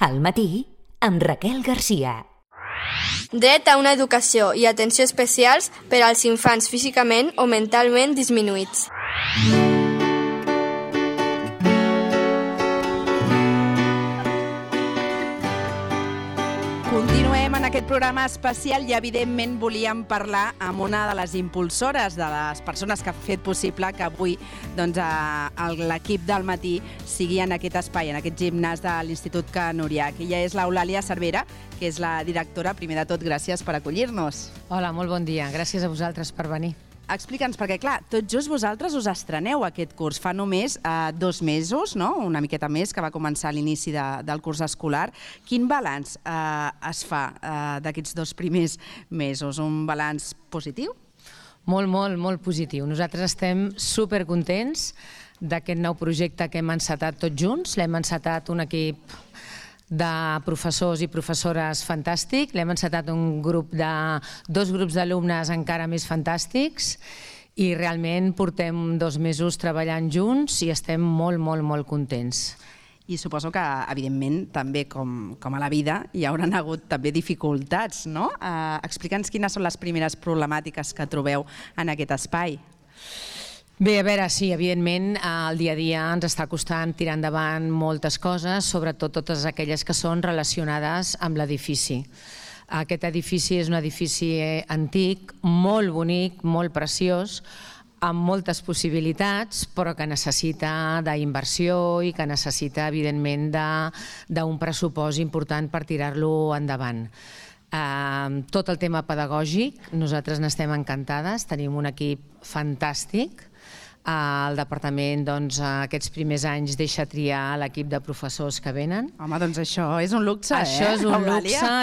Al matí, amb Raquel Garcia. Dret a una educació i atenció especials per als infants físicament o mentalment disminuïts. Continuem en aquest programa especial i evidentment volíem parlar amb una de les impulsores, de les persones que ha fet possible que avui l'equip del matí sigui en aquest espai, en aquest gimnàs de l'Institut Can Uriach. Ella és l'Eulàlia Cervera, que és la directora. Primer de tot, gràcies per acollir-nos. Hola, molt bon dia. Gràcies a vosaltres per venir. Explica'ns, perquè clar, tot just vosaltres us estreneu aquest curs. Fa només 2 mesos, no? Una miqueta més, que va començar a l'inici del curs escolar. Quin balanç es fa d'aquests 2 primers mesos? Un balanç positiu? Molt positiu. Nosaltres estem supercontents d'aquest nou projecte que hem encetat tots junts. L'hem encetat un equip de professors i professores fantàstic. L'hem encetat dos grups d'alumnes encara més fantàstics i realment portem 2 mesos treballant junts i estem molt contents. I suposo que, evidentment, també com a la vida, hi hauran hagut també dificultats, no? Explica'ns quines són les primeres problemàtiques que trobeu en aquest espai. Bé, a veure, sí, evidentment el dia a dia ens està costant tirar endavant moltes coses, sobretot totes aquelles que són relacionades amb l'edifici. Aquest edifici és un edifici antic, molt bonic, molt preciós, amb moltes possibilitats, però que necessita d'inversió i que necessita, evidentment, d'un pressupost important per tirar-lo endavant. Tot el tema pedagògic, nosaltres n'estem encantades, tenim un equip fantàstic. El departament aquests primers anys deixa triar l'equip de professors que venen. Home, doncs això és un luxe, Això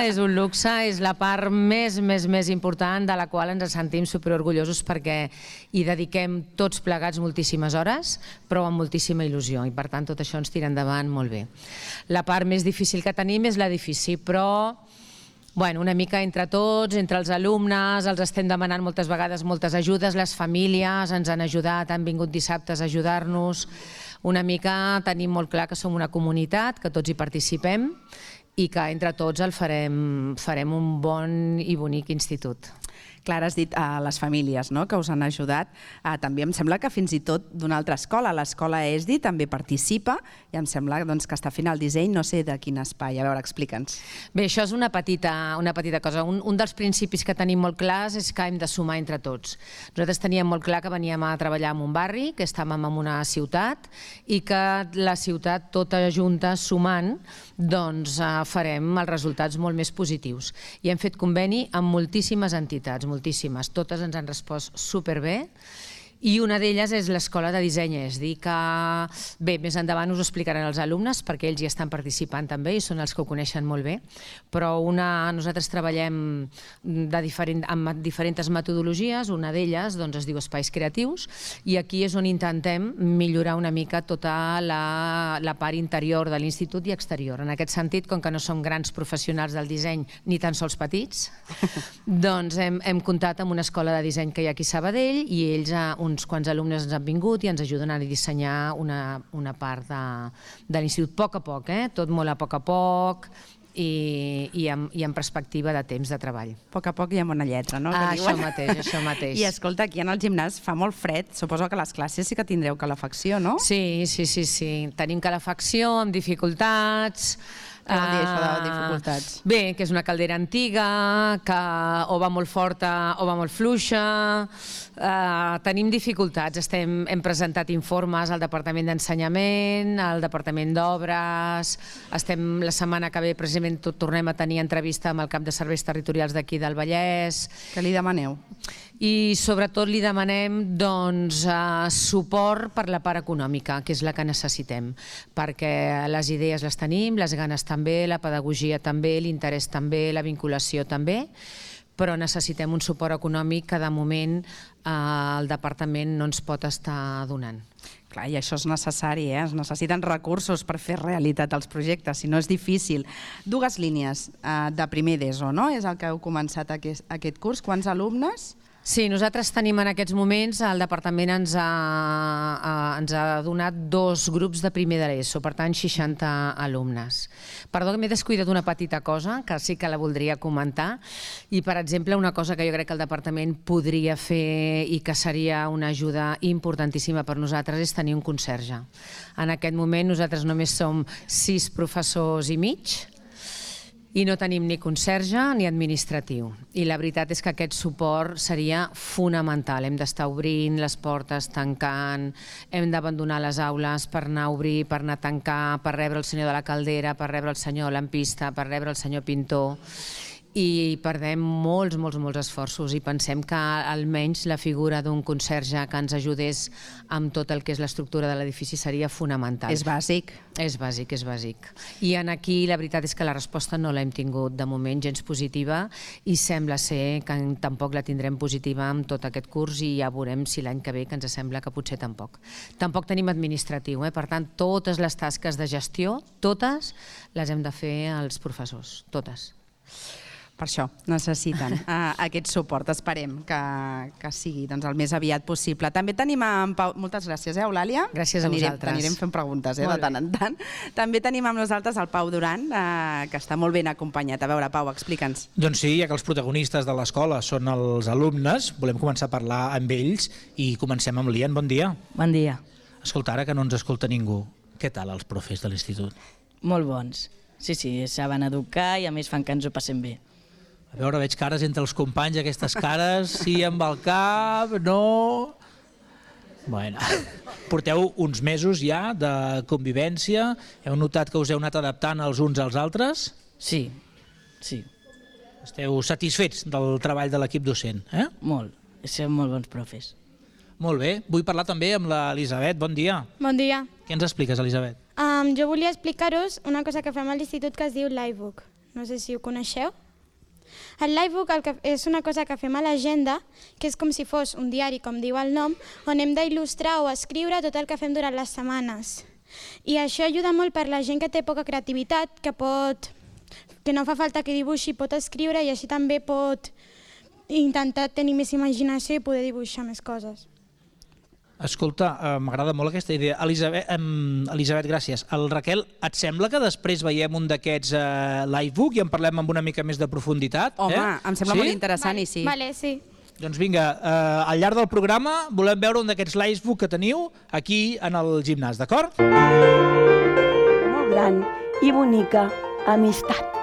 és un luxe, és la part més important de la qual ens sentim superorgullosos perquè hi dediquem tots plegats moltíssimes hores, però amb moltíssima il·lusió i per tant tot això ens tira endavant molt bé. La part més difícil que tenim és l'edifici, però una mica entre tots, entre els alumnes, els estem demanant moltes vegades moltes ajudes, les famílies ens han ajudat, han vingut dissabtes a ajudar-nos. Una mica tenim molt clar que som una comunitat, que tots hi participem i que entre tots el farem un bon i bonic institut. Clar, has dit a les famílies que us han ajudat. També em sembla que fins i tot d'una altra escola, l'escola ESDI, també participa i em sembla que està fent el disseny, no sé de quin espai. A veure, explica'ns. Bé, això és una petita cosa. Un dels principis que tenim molt clars és que hem de sumar entre tots. Nosaltres teníem molt clar que veníem a treballar en un barri, que estàvem en una ciutat i que la ciutat tota junta sumant farem els resultats molt més positius. I hem fet conveni amb moltíssimes entitats, moltíssimes, totes ens han respost superbé i una d'elles és l'escola de disseny ESDI, que bé, més endavant us ho explicaran els alumnes perquè ells hi estan participant també i són els que ho coneixen molt bé, però nosaltres treballem amb diferents metodologies, una d'elles es diu Espais Creatius i aquí és on intentem millorar una mica tota la part interior de l'institut i exterior. En aquest sentit, com que no som grans professionals del disseny ni tan sols petits, hem comptat amb una escola de disseny que hi ha aquí a Sabadell i ells, uns quants alumnes ens han vingut i ens ajuden a dissenyar una part de l'institut a poc, tot molt a poc i amb perspectiva de temps de treball. A poc i amb una lletra, no? Això mateix. I escolta, aquí en el gimnàs fa molt fred, suposo que a les classes sí que tindreu calefacció, no? Sí, tenim calefacció amb dificultats. Què vol dir això de dificultats? Bé, que és una caldera antiga, que o va molt forta o va molt fluixa. Tenim dificultats. Hem presentat informes al Departament d'Ensenyament, al Departament d'Obres. La setmana que ve, precisament, tornem a tenir entrevista amb el cap de serveis territorials d'aquí del Vallès. Què li demaneu? I sobretot li demanem suport per la part econòmica, que és la que necessitem, perquè les idees les tenim, les ganes també, la pedagogia també, l'interès també, la vinculació també, però necessitem un suport econòmic que de moment el departament no ens pot estar donant. Clar, i això és necessari, es necessiten recursos per fer realitat els projectes, si no és difícil. 2 línies de primer d'ESO, no? És el que heu començat aquest curs. Quants alumnes? Sí, nosaltres tenim en aquests moments, el departament ens ha donat 2 grups de primer de l'ESO, per tant 60 alumnes. Perdó que m'he descuidat una petita cosa, que sí que la voldria comentar, i per exemple una cosa que jo crec que el departament podria fer i que seria una ajuda importantíssima per nosaltres és tenir un conserge. En aquest moment nosaltres només som 6 professors i mig, i no tenim ni conserge ni administratiu. I la veritat és que aquest suport seria fonamental. Hem d'estar obrint les portes, tancant, hem d'abandonar les aules per anar a obrir, per anar a tancar, per rebre el senyor de la caldera, per rebre el senyor lampista, per rebre el senyor pintor. I perdem molts esforços i pensem que almenys la figura d'un conserge que ens ajudés amb tot el que és l'estructura de l'edifici seria fonamental. És bàsic. És bàsic. I aquí la veritat és que la resposta no l'hem tingut de moment gens positiva i sembla ser que tampoc la tindrem positiva amb tot aquest curs i ja veurem si l'any que ve, que ens sembla que potser tampoc. Tampoc tenim administratiu, per tant totes les tasques de gestió, totes les hem de fer els professors, totes. Per això necessiten aquest suport. Esperem que sigui el més aviat possible. També tenim en Pau... Moltes gràcies, Eulàlia. Gràcies a vosaltres. Anirem fent preguntes de tant en tant. També tenim amb nosaltres el Pau Duran, que està molt ben acompanyat. A veure, Pau, explica'ns. Doncs sí, ja que els protagonistes de l'escola són els alumnes, volem començar a parlar amb ells i comencem amb l'Ian. Bon dia. Bon dia. Escolta, ara que no ens escolta ningú, què tal els profes de l'institut? Molt bons. Sí, saben educar i a més fan que ens ho passem bé. A veure, veig cares entre els companys, aquestes cares, sí amb el cap, no... Bueno, porteu uns mesos ja de convivència, heu notat que us heu anat adaptant els uns als altres? Sí. Esteu satisfets del treball de l'equip docent, eh? Molt, som molt bons profes. Molt bé, vull parlar també amb l'Elisabet, bon dia. Bon dia. Què ens expliques, Elisabet? Jo volia explicar-vos una cosa que fem a l'institut que es diu Livebook. No sé si ho coneixeu. El Livebook és una cosa que fem a l'agenda, que és com si fos un diari, com diu el nom, on hem d'il·lustrar o escriure tot el que fem durant les setmanes. I això ajuda molt per la gent que té poca creativitat, que no fa falta que dibuixi, pot escriure i així també pot intentar tenir més imaginació i poder dibuixar més coses. Escolta, m'agrada molt aquesta idea. Elisabet, gràcies. El Raquel, et sembla que després veiem un d'aquests Livebook i en parlem amb una mica més de profunditat? Home, em sembla molt interessant i sí. Vale, sí. Doncs vinga, al llarg del programa volem veure un d'aquests Livebook que teniu aquí en el gimnàs, d'acord? Molt gran i bonica amistat.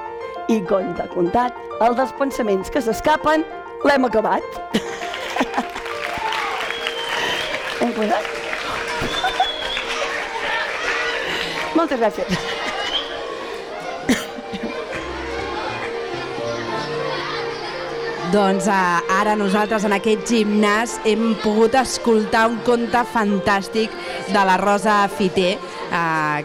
I contat, el dels pensaments que s'escapen l'hem acabat. Hem posat? Moltes gràcies. Doncs ara nosaltres en aquest gimnàs hem pogut escoltar un conte fantàstic de la Rosa Fiter,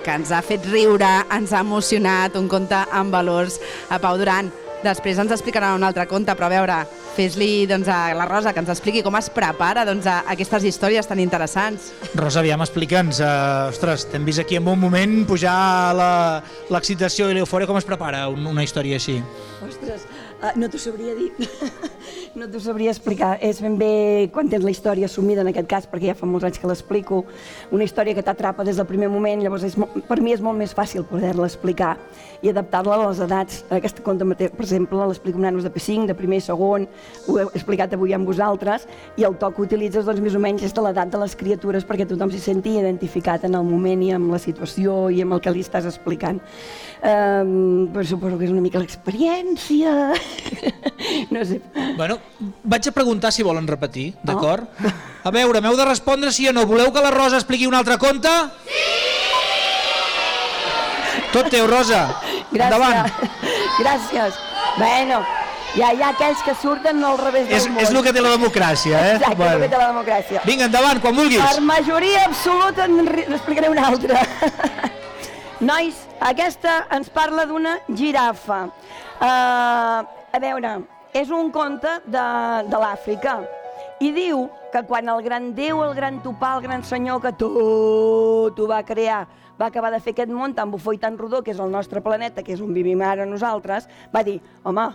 que ens ha fet riure, ens ha emocionat, un conte amb valors. Pau Duran, després ens explicarà un altre conte, però a veure, fes-li a la Rosa que ens expliqui com es prepara a aquestes històries tan interessants. Rosa, aviam, explica'ns. Ostres, t'hem vist aquí en un moment pujar l'excitació i l'eufòria. Com es prepara una història així? Ostres, no t'ho sabria dir, no t'ho sabria explicar. És ben bé quan tens la història assumida, en aquest cas, perquè ja fa molts anys que l'explico, una història que t'atrapa des del primer moment, llavors per mi és molt més fàcil poder-la explicar i adaptar-la a les edats. Aquest conte, per exemple, l'explico amb nanos de P5, de primer i segon, ho he explicat avui amb vosaltres, i el to que utilitzes més o menys és de l'edat de les criatures perquè tothom s'hi senti identificat en el moment i amb la situació i amb el que li estàs explicant. Però suposo que és una mica l'experiència. No sé. Bueno, vaig a preguntar si volen repetir, d'acord? A veure, m'heu de respondre sí o no. Voleu que la Rosa expliqui un altre conte? Sí! Tot teu, Rosa. Endavant. Gràcies. Bueno, ja hi ha aquells que surten al revés del món. És el que té la democràcia, eh? Exacte, el que té la democràcia. Vinga, endavant, quan vulguis. Per majoria absoluta n'explicaré una altra. Nois, aquesta ens parla d'una girafa. A veure, és un conte de l'Àfrica i diu que quan el gran déu, el gran topar, el gran senyor que tot ho va crear, va acabar de fer aquest món tan bufó i tan rodó, que és el nostre planeta, que és on vivim ara nosaltres, va dir, home,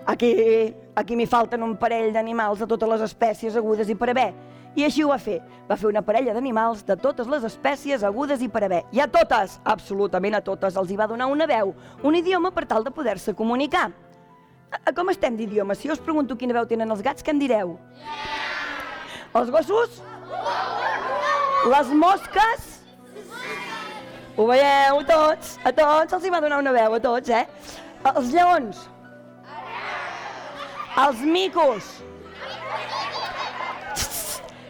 Aquí m'hi falten un parell d'animals de totes les espècies agudes i per haver. I així ho va fer. Va fer una parella d'animals de totes les espècies agudes i per haver. I a totes, absolutament a totes, els hi va donar una veu, un idioma per tal de poder-se comunicar. Com estem d'idioma? Si jo us pregunto quina veu tenen els gats, què em direu? Els gossos? Les mosques? Ho veieu, tots? A tots els hi va donar una veu, a tots, eh? Els lleons? Els micos?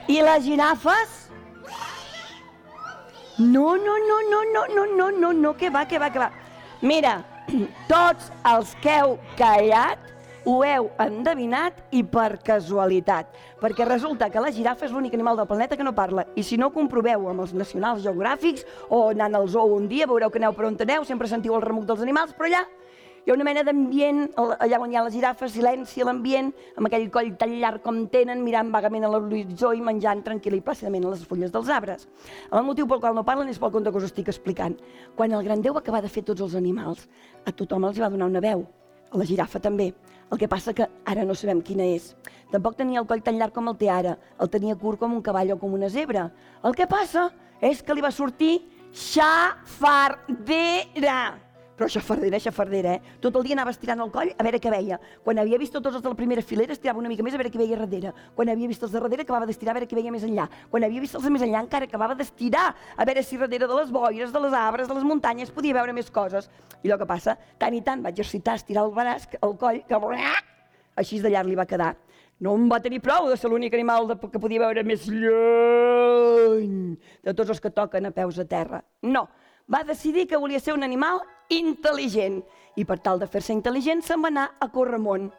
I les girafes? No, que va. Mira, tots els que heu callat ho heu endevinat i per casualitat, perquè resulta que la girafa és l'únic animal del planeta que no parla, i si no ho comproveu amb els nacionals geogràfics o anant al zoo un dia, veureu que aneu per on aneu, sempre sentiu el remuc dels animals, però allà hi ha una mena d'ambient, allà on hi ha les girafes, silenci a l'ambient, amb aquell coll tan llarg com tenen, mirant vagament a l'horitzó i menjant tranquil·la i plàcidament a les fulles dels arbres. El motiu pel qual no parlen és pel conte que us estic explicant. Quan el gran Déu va acabar de fer tots els animals, a tothom els va donar una veu, a la girafa també. El que passa que ara no sabem quina és. Tampoc tenia el coll tan llarg com el té ara, el tenia curt com un cavall o com una zebra. El que passa és que li va sortir xafardera. Però xafardera, eh? Tot el dia anava estirant el coll a veure què veia. Quan havia vist tots els de la primera filera, estirava una mica més a veure què veia darrere. Quan havia vist els de darrere, acabava d'estirar a veure què veia més enllà. Quan havia vist els de més enllà, encara acabava d'estirar a veure si darrere de les boires, de les arbres, de les muntanyes, podia veure més coses. I el que passa, tant i tant va exercitar, estirar el braç, el coll, que així de llarg li va quedar. No en va tenir prou de ser l'únic animal que podia veure més lluny de tots els que toquen a peus a terra. No, va decidir que volia ser un animal intel·ligent i per tal de fer-se intel·ligent se'n va anar a Corremont.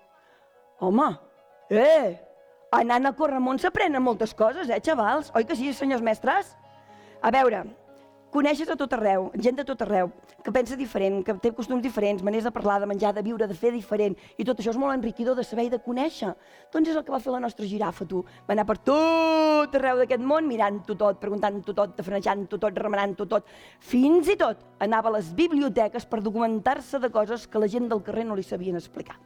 Home, anant a Corremont s'aprenen moltes coses, xavals? Oi que sí, senyors mestres? A veure, coneixes a tot arreu, gent de tot arreu, que pensa diferent, que té costums diferents, maneres de parlar, de menjar, de viure, de fer diferent, i tot això és molt enriquidor de saber i de conèixer. Doncs és el que va fer la nostra girafa, tu. Va anar per tot arreu d'aquest món, mirant-ho tot, preguntant-ho tot, tafanejant-ho tot, remenant-ho tot. Fins i tot anava a les biblioteques per documentar-se de coses que la gent del carrer no li sabien explicar.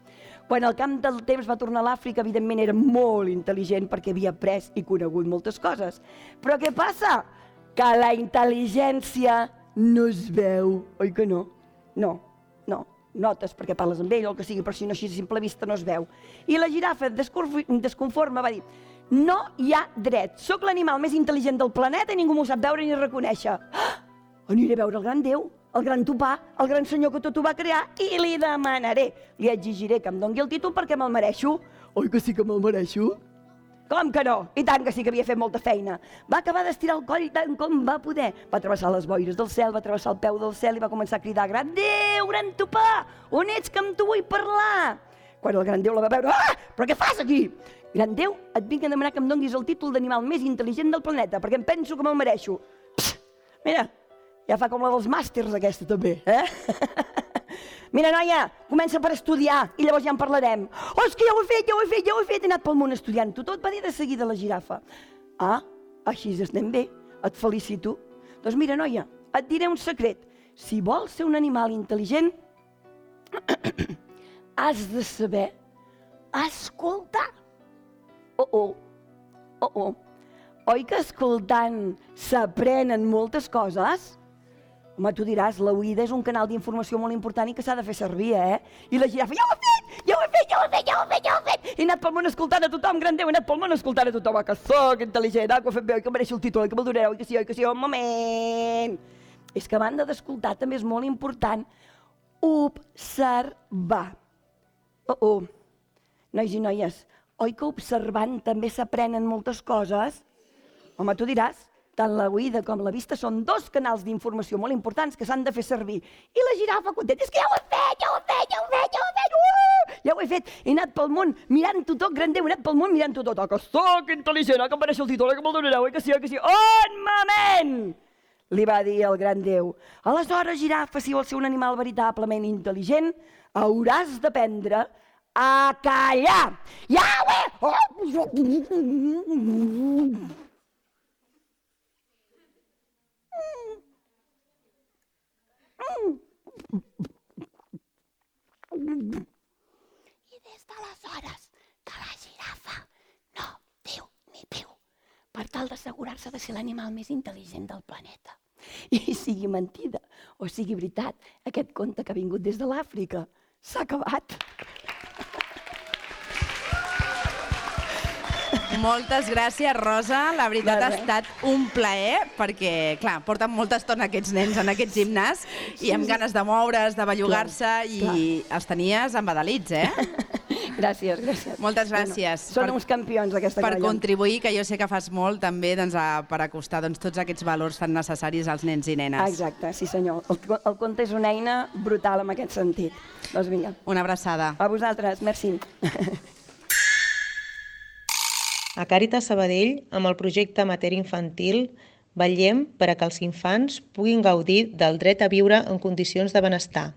Quan al camp del temps va tornar a l'Àfrica, evidentment era molt intel·ligent perquè havia après i conegut moltes coses. Però què passa? Que la intel·ligència no es veu, oi que no? No, notes perquè parles amb ell o el que sigui, però si no així a simple vista no es veu. I la girafa, desconforme, va dir: no hi ha dret, sóc l'animal més intel·ligent del planeta i ningú m'ho sap veure ni reconèixer. Aniré a veure el gran Déu, el gran topà, el gran senyor que tot ho va crear i li demanaré, li exigiré que em doni el títol perquè me'l mereixo. Oi que sí que me'l mereixo? Com que no? I tant que sí que havia fet molta feina. Va acabar d'estirar el coll tant com va poder. Va travessar les boires del cel, va travessar el peu del cel i va començar a cridar: gran Déu, gran topà, on ets que amb tu vull parlar? Quan el gran Déu la va veure: però què fas aquí? Gran Déu, et vinc a demanar que em donis el títol d'animal més intel·ligent del planeta, perquè em penso que me'l mereixo. Mira, ja fa com la dels màsters aquesta també, Mira, noia, comença per estudiar i llavors ja en parlarem. Oh, és que ja ho he fet, he anat pel món estudiant-ho tot, va dir de seguida la girafa. Així estem bé, et felicito. Doncs mira, noia, et diré un secret. Si vols ser un animal intel·ligent, has de saber escoltar. Oi que escoltant s'aprenen moltes coses? Home, tu diràs, l'oïda és un canal d'informació molt important i que s'ha de fer servir, I la girafa: ja ho he fet! He anat pel món escoltant a tothom, gran Déu, he anat pel món escoltant a tothom, que soc intel·ligent, que ho he fet bé, que mereixo el títol, que me'l donareu, que sí, un moment. És que a banda d'escoltar també és molt important observar. Nois i noies, oi que observant també s'aprenen moltes coses? Home, tu diràs, tant l'oïda com la vista són dos canals d'informació molt importants que s'han de fer servir. I la girafa contenta: és que ja ho he fet! Ja ho he fet! He anat pel món mirant-ho tot, gran Déu, he anat pel món mirant-ho tot. Que soc intel·ligent, que em mereixo el títol, que me'l donareu, que sí. Un moment! Li va dir el gran Déu. Aleshores, girafa, si vols ser un animal veritablement intel·ligent, hauràs d'aprendre a callar. Ja ho he... I des raça ha de ser l'animal més intel·ligent del planeta. I sigui mentida o sigui veritat, aquest conte que ha vingut des de l'Àfrica s'ha acabat. Moltes gràcies, Rosa. La veritat ha estat un plaer, perquè, clar, porten molta estona aquests nens en aquest gimnàs i amb ganes de moure's, de bellugar-se, i els tenies embadalits, Gràcies, gràcies. Moltes gràcies. Són uns campions, aquesta per colla. contribuir, que jo sé que fas molt també per acostar tots aquests valors tan necessaris als nens i nenes. Exacte, sí senyor. El conte és una eina brutal en aquest sentit. Doncs vinga. Una abraçada. A vosaltres, merci. A Càritas Sabadell, amb el projecte Matèria Infantil, vetllem per a que els infants puguin gaudir del dret a viure en condicions de benestar.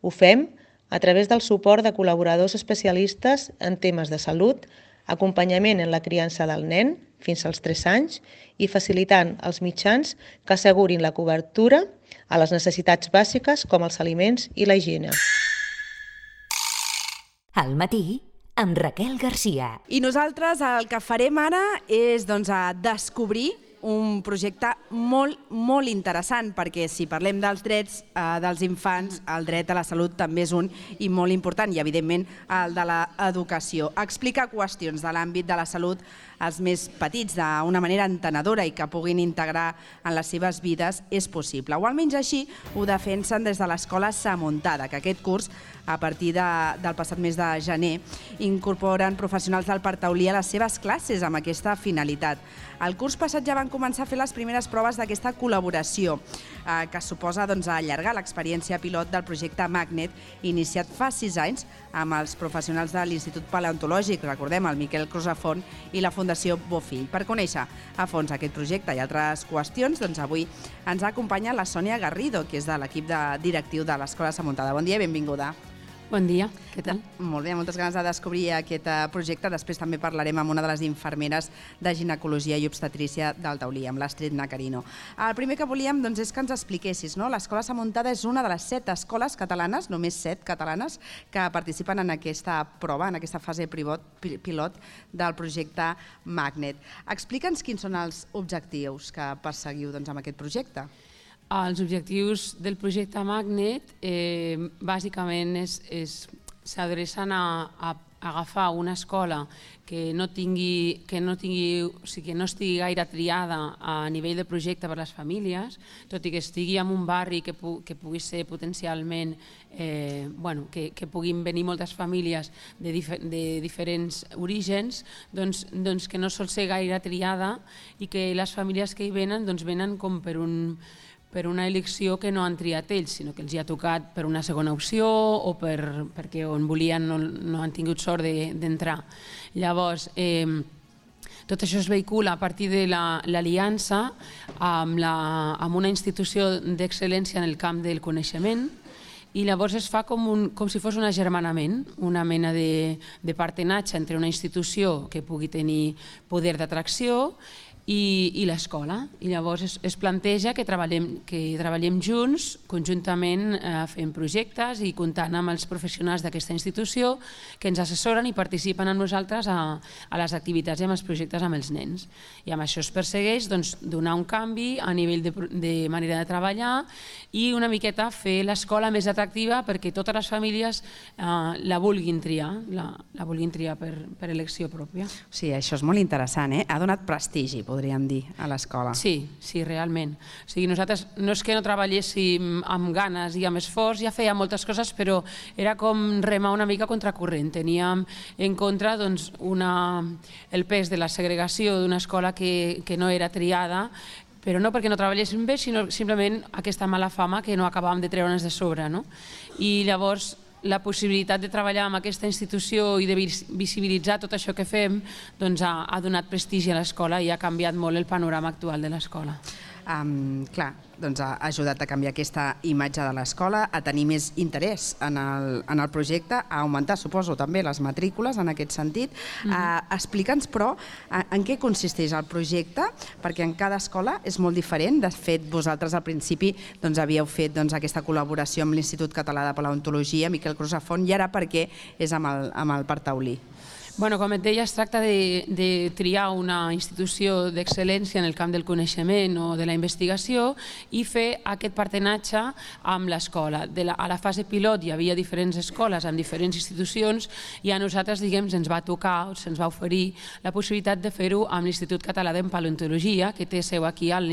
Ho fem a través del suport de col·laboradors especialistes en temes de salut, acompanyament en la criança del nen fins als 3 anys i facilitant els mitjans que assegurin la cobertura a les necessitats bàsiques com els aliments i la higiene. Al matí, amb Raquel Garcia. I nosaltres el que farem ara és descobrir un projecte molt, molt interessant, perquè si parlem dels drets dels infants, el dret a la salut també és un i molt important, i evidentment el de l'educació. Explica qüestions de l'àmbit de la salut als més petits d'una manera entenedora i que puguin integrar en les seves vides és possible. O almenys així ho defensen des de l'Escola Samuntada, que aquest curs, a partir del passat mes de gener, incorporen professionals del Partaulí a les seves classes amb aquesta finalitat. El curs passat ja van començar a fer les primeres proves d'aquesta col·laboració, que suposa allargar l'experiència pilot del projecte Magnet, iniciat fa 6 anys amb els professionals de l'Institut Paleontològic, recordem, el Miquel Crusafont i la Fundació Bofill. Per conèixer a fons aquest projecte i altres qüestions, avui ens acompanya la Sònia Garrido, que és de l'equip directiu de l'Escola Samuntada. Bon dia i benvinguda. Bon dia, què tal? Molt bé, moltes ganes de descobrir aquest projecte. Després també parlarem amb una de les infermeres de ginecologia i obstetrícia del Taulí, amb l'Astrid Nacarino. El primer que volíem és que ens expliquessis, l'Escola Samuntada és una de les 7 escoles catalanes, només 7 catalanes, que participen en aquesta prova, en aquesta fase pilot del projecte Magnet. Explica'ns quins són els objectius que perseguiu amb aquest projecte. Els objectius del projecte Magnet bàsicament s'adrecen a agafar una escola que no estigui gaire triada a nivell de projecte per a les famílies, tot i que estigui en un barri que pugui ser potencialment, que puguin venir moltes famílies de diferents orígens, doncs que no sol ser gaire triada i que les famílies que hi venen venen com per una elecció que no han triat ells, sinó que els hi ha tocat per una segona opció o perquè on volien no han tingut sort d'entrar. Llavors, tot això es vehicula a partir de l'aliança amb una institució d'excel·lència en el camp del coneixement, i llavors es fa com si fos un agermanament, una mena de partenatge entre una institució que pugui tenir poder d'atracció i l'escola. I llavors es planteja que treballem junts, conjuntament fent projectes i comptant amb els professionals d'aquesta institució que ens assessoren i participen amb nosaltres a les activitats i amb els projectes amb els nens. I amb això es persegueix donar un canvi a nivell de manera de treballar i una miqueta fer l'escola més atractiva perquè totes les famílies la vulguin triar per elecció pròpia. Sí, això és molt interessant, ha donat prestigi, podríem dir, a l'escola. Sí, realment. Nosaltres no és que no treballéssim amb ganes i amb esforç, ja fèiem moltes coses, però era com remar una mica contracorrent. Teníem en contra el pes de la segregació d'una escola que no era triada, però no perquè no treballéssim bé, sinó simplement aquesta mala fama que no acabàvem de treure'ns de sobre. I llavors la possibilitat de treballar amb aquesta institució i de visibilitzar tot això que fem ha donat prestigi a l'escola i ha canviat molt el panorama actual de l'escola. Clar, ha ajudat a canviar aquesta imatge de l'escola, a tenir més interès en el projecte, a augmentar, suposo, també les matrícules en aquest sentit. Explica'ns, però, en què consisteix el projecte, perquè en cada escola és molt diferent. De fet, vosaltres al principi havíeu fet aquesta col·laboració amb l'Institut Català de Paleontologia, Miquel Crusafont, i ara per què és amb el Partaulí? Bueno, com et deia, es tracta de triar una institució d'excel·lència en el camp del coneixement o de la investigació i fer aquest partenatge amb l'escola. A la fase pilot hi havia diferents escoles amb diferents institucions i a nosaltres, diguem, ens va tocar, se'ns va oferir la possibilitat de fer-ho amb l'Institut Català de Paleontologia, que té seu aquí al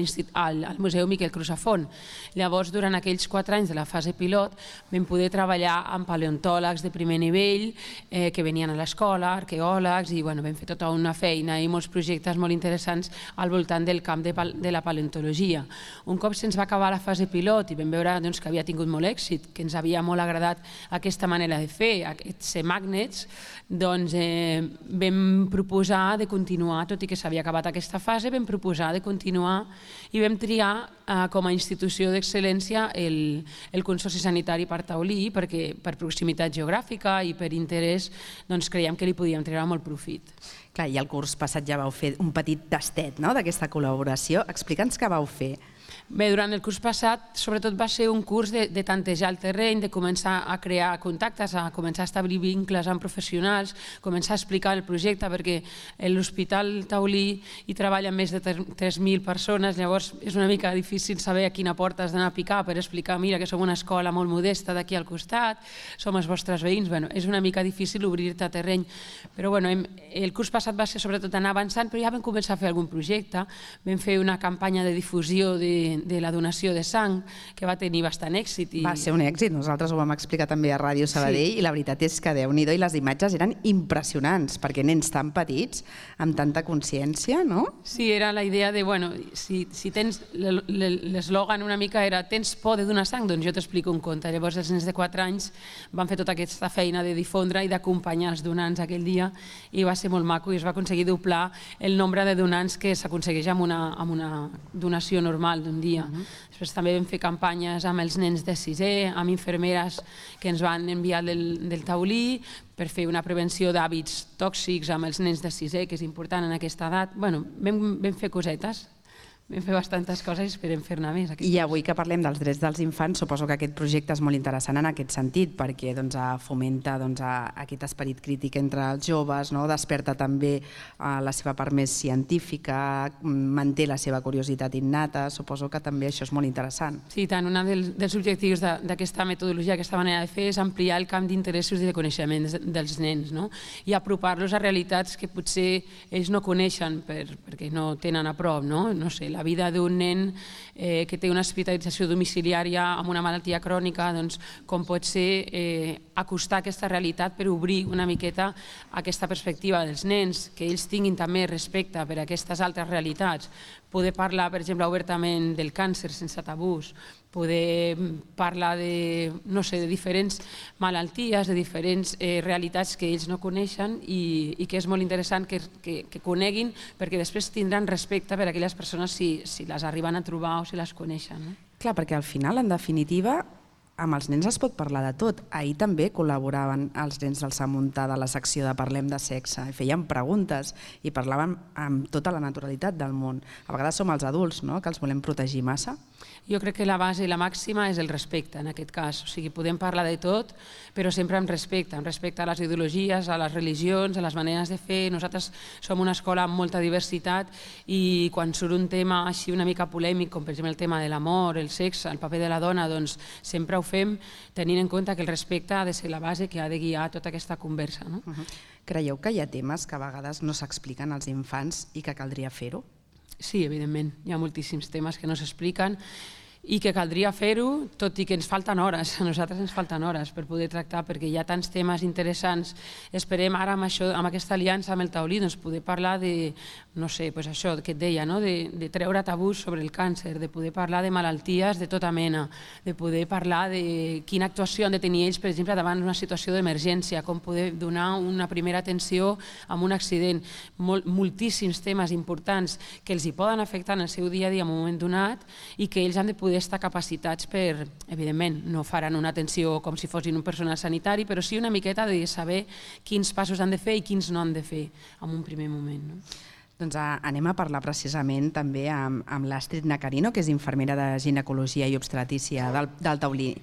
Museu Miquel Crusafont. Llavors, durant aquells 4 anys de la fase pilot, vam poder treballar amb paleontòlegs de primer nivell que venien a l'escola, arqueòlegs, i vam fer tota una feina i molts projectes molt interessants al voltant del camp de la paleontologia. Un cop se'ns va acabar la fase pilot i vam veure que havia tingut molt èxit, que ens havia molt agradat aquesta manera de fer, aquests magnets, doncs vam proposar de continuar, tot i que s'havia acabat aquesta fase, vam proposar de continuar i vam triar com a institució d'excel·lència el Consorci Sanitari Parc Taulí, perquè per proximitat geogràfica i per interès creiem que li podíem treure molt profit. Clar, i el curs passat ja vau fer un petit tastet d'aquesta col·laboració. Explica'ns què vau fer. Bé, durant el curs passat, sobretot va ser un curs de tantejar el terreny, de començar a crear contactes, a començar a establir vincles amb professionals, començar a explicar el projecte, perquè l'Hospital Taulí hi treballen més de 3.000 persones, llavors és una mica difícil saber a quina porta has d'anar a picar per explicar, mira, que som una escola molt modesta d'aquí al costat, som els vostres veïns, és una mica difícil obrir-te a terreny, però el curs passat va ser sobretot anar avançant, però ja vam començar a fer algun projecte, vam fer una campanya de difusió de la donació de sang, que va tenir bastant èxit. Va ser un èxit, nosaltres ho vam explicar també a Ràdio Sabadell, i la veritat és que Déu-n'hi-do, i les imatges eren impressionants, perquè nens tan petits, amb tanta consciència, no? Sí, era la idea de, si tens, l'eslògan una mica era tens por de donar sang, doncs jo t'explico un conte. Llavors els nens de 4 anys van fer tota aquesta feina de difondre i d'acompanyar els donants aquell dia, i va ser molt maco, i es va aconseguir doblar el nombre de donants que s'aconsegueix amb una donació normal d'un dia. Després també vam fer campanyes amb els nens de 6è, amb infermeres que ens van enviar del Taulí per fer una prevenció d'hàbits tòxics amb els nens de 6è, que és important en aquesta edat. Vam fer cosetes. Vam fer bastantes coses i esperem fer-ne més. I avui que parlem dels drets dels infants, suposo que aquest projecte és molt interessant en aquest sentit, perquè fomenta aquest esperit crític entre els joves, desperta també la seva part més científica, manté la seva curiositat innata, suposo que també això és molt interessant. Sí, tant. Un dels objectius d'aquesta metodologia, aquesta manera de fer, és ampliar el camp d'interessos i de coneixement dels nens i apropar-los a realitats que potser ells no coneixen perquè no tenen a prop, no sé, la vida d'un nen que té una hospitalització domiciliària amb una malaltia crònica, com pot ser acostar aquesta realitat per obrir una miqueta aquesta perspectiva dels nens, que ells tinguin també respecte per aquestes altres realitats, poder parlar, per exemple, obertament del càncer sense tabús, poder parlar de diferents malalties, de diferents realitats que ells no coneixen i que és molt interessant que coneguin, perquè després tindran respecte per a aquelles persones si les arriben a trobar o si les coneixen. Clar, perquè al final, en definitiva, amb els nens es pot parlar de tot. Ahir també col·laboraven els nens del Sant Montà de la secció de Parlem de Sexe i feien preguntes i parlaven amb tota la naturalitat del món. A vegades som els adults, que els volem protegir massa. Jo crec que la base i la màxima és el respecte, en aquest cas. O sigui, podem parlar de tot, però sempre amb respecte a les ideologies, a les religions, a les maneres de fer. Nosaltres som una escola amb molta diversitat i quan surt un tema així una mica polèmic, com per exemple el tema de l'amor, el sexe, el paper de la dona, doncs sempre ho fem tenint en compte que el respecte ha de ser la base que ha de guiar tota aquesta conversa. Creieu que hi ha temes que a vegades no s'expliquen als infants i que caldria fer-ho? Sí, evidentment. Hi ha moltíssims temes que no s'expliquen i que caldria fer-ho, tot i que ens falten hores, a nosaltres ens falten hores per poder tractar, perquè hi ha tants temes interessants. Esperem ara amb aquesta aliança amb el Taulí poder parlar de, no sé, això que et deia, de treure tabús sobre el càncer, de poder parlar de malalties de tota mena, de poder parlar de quina actuació han de tenir ells, per exemple, davant d'una situació d'emergència, com poder donar una primera atenció en un accident. Moltíssims temes importants que els hi poden afectar en el seu dia a dia en un moment donat i que ells han de poder estar capacitats per, evidentment, no faran una atenció com si fossin un personal sanitari, però sí una miqueta de saber quins passos han de fer i quins no han de fer en un primer moment. Doncs anem a parlar precisament també amb l'Astrid Nacarino, que és infermera de ginecologia i obstetrícia del Taulí.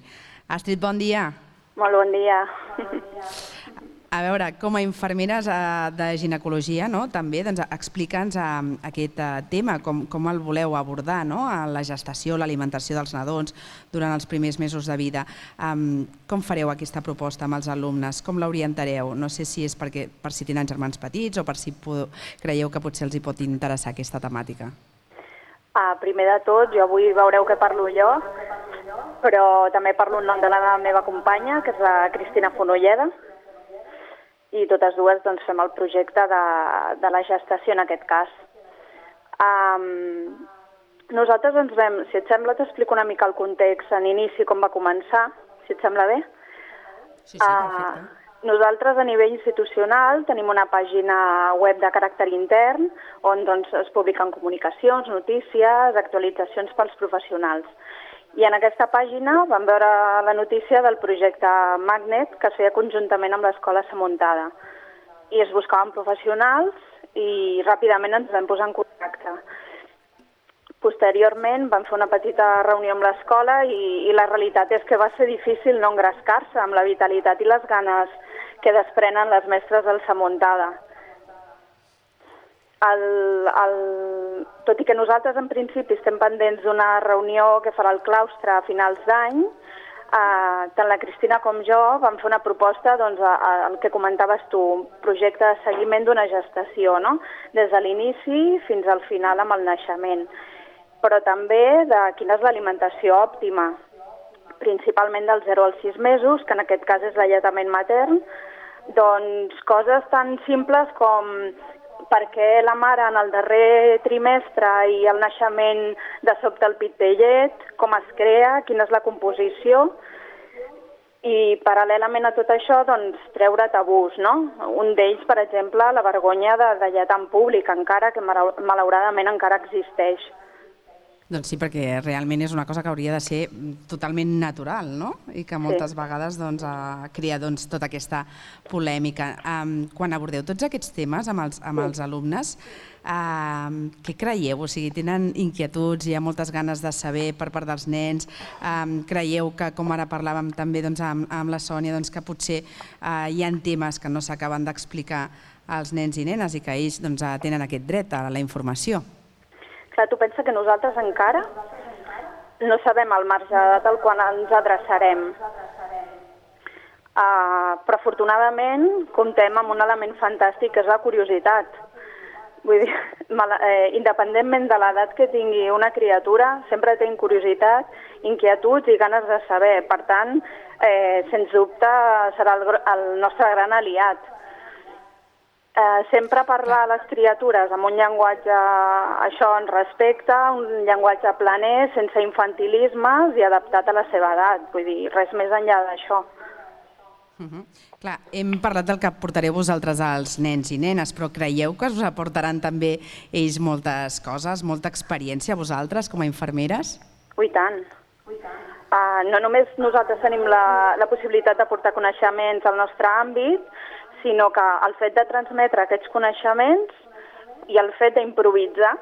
Astrid, bon dia. Molt bon dia. A veure, com a infermeres de ginecologia, també explica'ns aquest tema, com el voleu abordar, la gestació, l'alimentació dels nadons durant els primers mesos de vida. Com fareu aquesta proposta amb els alumnes? Com l'orientareu? No sé si és per si tenen germans petits o per si creieu que potser els hi pot interessar aquesta temàtica. Primer de tot, jo avui veureu que parlo jo, però també parlo en nom de la meva companya, que és la Cristina Fonolleda, i totes dues fem el projecte de la gestació en aquest cas. Nosaltres si et sembla t'explico una mica el context en inici, com va començar, si et sembla bé. Sí, perfecte. Nosaltres a nivell institucional tenim una pàgina web de caràcter intern on es publiquen comunicacions, notícies, actualitzacions pels professionals. I en aquesta pàgina vam veure la notícia del projecte Magnet que es feia conjuntament amb l'Escola Samuntada. I es buscaven professionals i ràpidament ens vam posar en contacte. Posteriorment vam fer una petita reunió amb l'escola i la realitat és que va ser difícil no engrescar-se amb la vitalitat i les ganes que desprenen les mestres del Samuntada. Tot i que nosaltres en principi estem pendents d'una reunió que farà el claustre a finals d'any, tant la Cristina com jo vam fer una proposta, el que comentaves tu, un projecte de seguiment d'una gestació, des de l'inici fins al final amb el naixement, però també de quina és l'alimentació òptima, principalment del 0 als 6 mesos, que en aquest cas és l'alletament matern, coses tan simples com per què la mare en el darrer trimestre i el naixement de sobte el pit té llet, com es crea, quina és la composició, i paral·lelament a tot això treure tabús. Un d'ells, per exemple, la vergonya de lletar en públic, encara que malauradament encara existeix. Doncs sí, perquè realment és una cosa que hauria de ser totalment natural, no? I que moltes vegades crea tota aquesta polèmica. Quan abordeu tots aquests temes amb els alumnes, què creieu? O sigui, tenen inquietuds, hi ha moltes ganes de saber per part dels nens, creieu que, com ara parlàvem també amb la Sònia, que potser hi ha temes que no s'acaben d'explicar als nens i nenes i que ells tenen aquest dret a la informació? Tu pensa que nosaltres encara no sabem el marge d'edat al qual ens adreçarem. Però afortunadament comptem amb un element fantàstic que és la curiositat. Vull dir, independentment de l'edat que tingui una criatura, sempre té curiositat, inquietuds i ganes de saber. Per tant, sens dubte serà el nostre gran aliat. Sempre parlar a les criatures amb un llenguatge, això en respecte, un llenguatge planer, sense infantilismes i adaptat a la seva edat. Vull dir, res més enllà d'això. Clar, hem parlat del que portareu vosaltres als nens i nenes, però creieu que us aportaran també ells moltes coses, molta experiència a vosaltres com a infermeres? I tant. No només nosaltres tenim la possibilitat d'aportar coneixements al nostre àmbit, sinó que el fet de transmetre aquests coneixements i el fet d'improvisar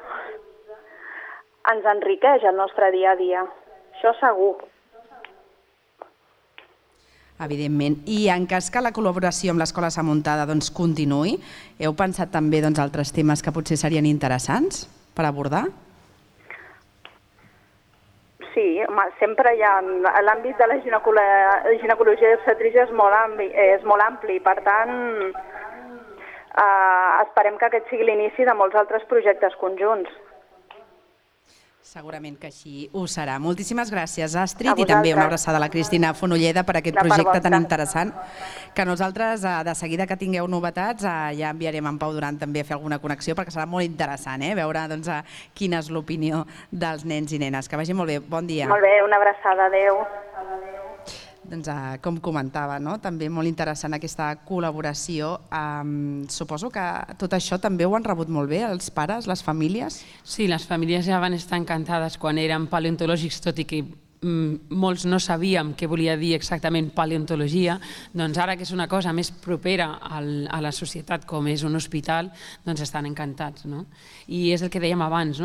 ens enriqueix el nostre dia a dia. Això segur. Evidentment. I en cas que la col·laboració amb l'Escola Samuntada continuï, heu pensat també altres temes que potser serien interessants per abordar? Sí, sempre hi ha... L'àmbit de la ginecologia i obstetrícia és molt ampli, per tant, esperem que aquest sigui l'inici de molts altres projectes conjunts. Segurament que així ho serà. Moltíssimes gràcies, Astrid, i també una abraçada a la Cristina Fonolleda per aquest projecte tan interessant, que nosaltres, de seguida que tingueu novetats, ja enviarem en Pau Duran també a fer alguna connexió, perquè serà molt interessant veure quina és l'opinió dels nens i nenes. Que vagi molt bé. Bon dia. Molt bé, una abraçada. Adéu. Com comentava, també molt interessant aquesta col·laboració. Suposo que tot això també ho han rebut molt bé els pares, les famílies? Sí, les famílies ja van estar encantades quan eren paleontològics, tot i que molts no sabíem què volia dir exactament paleontologia, doncs ara que és una cosa més propera a la societat com és un hospital, doncs estan encantats. I és el que dèiem abans,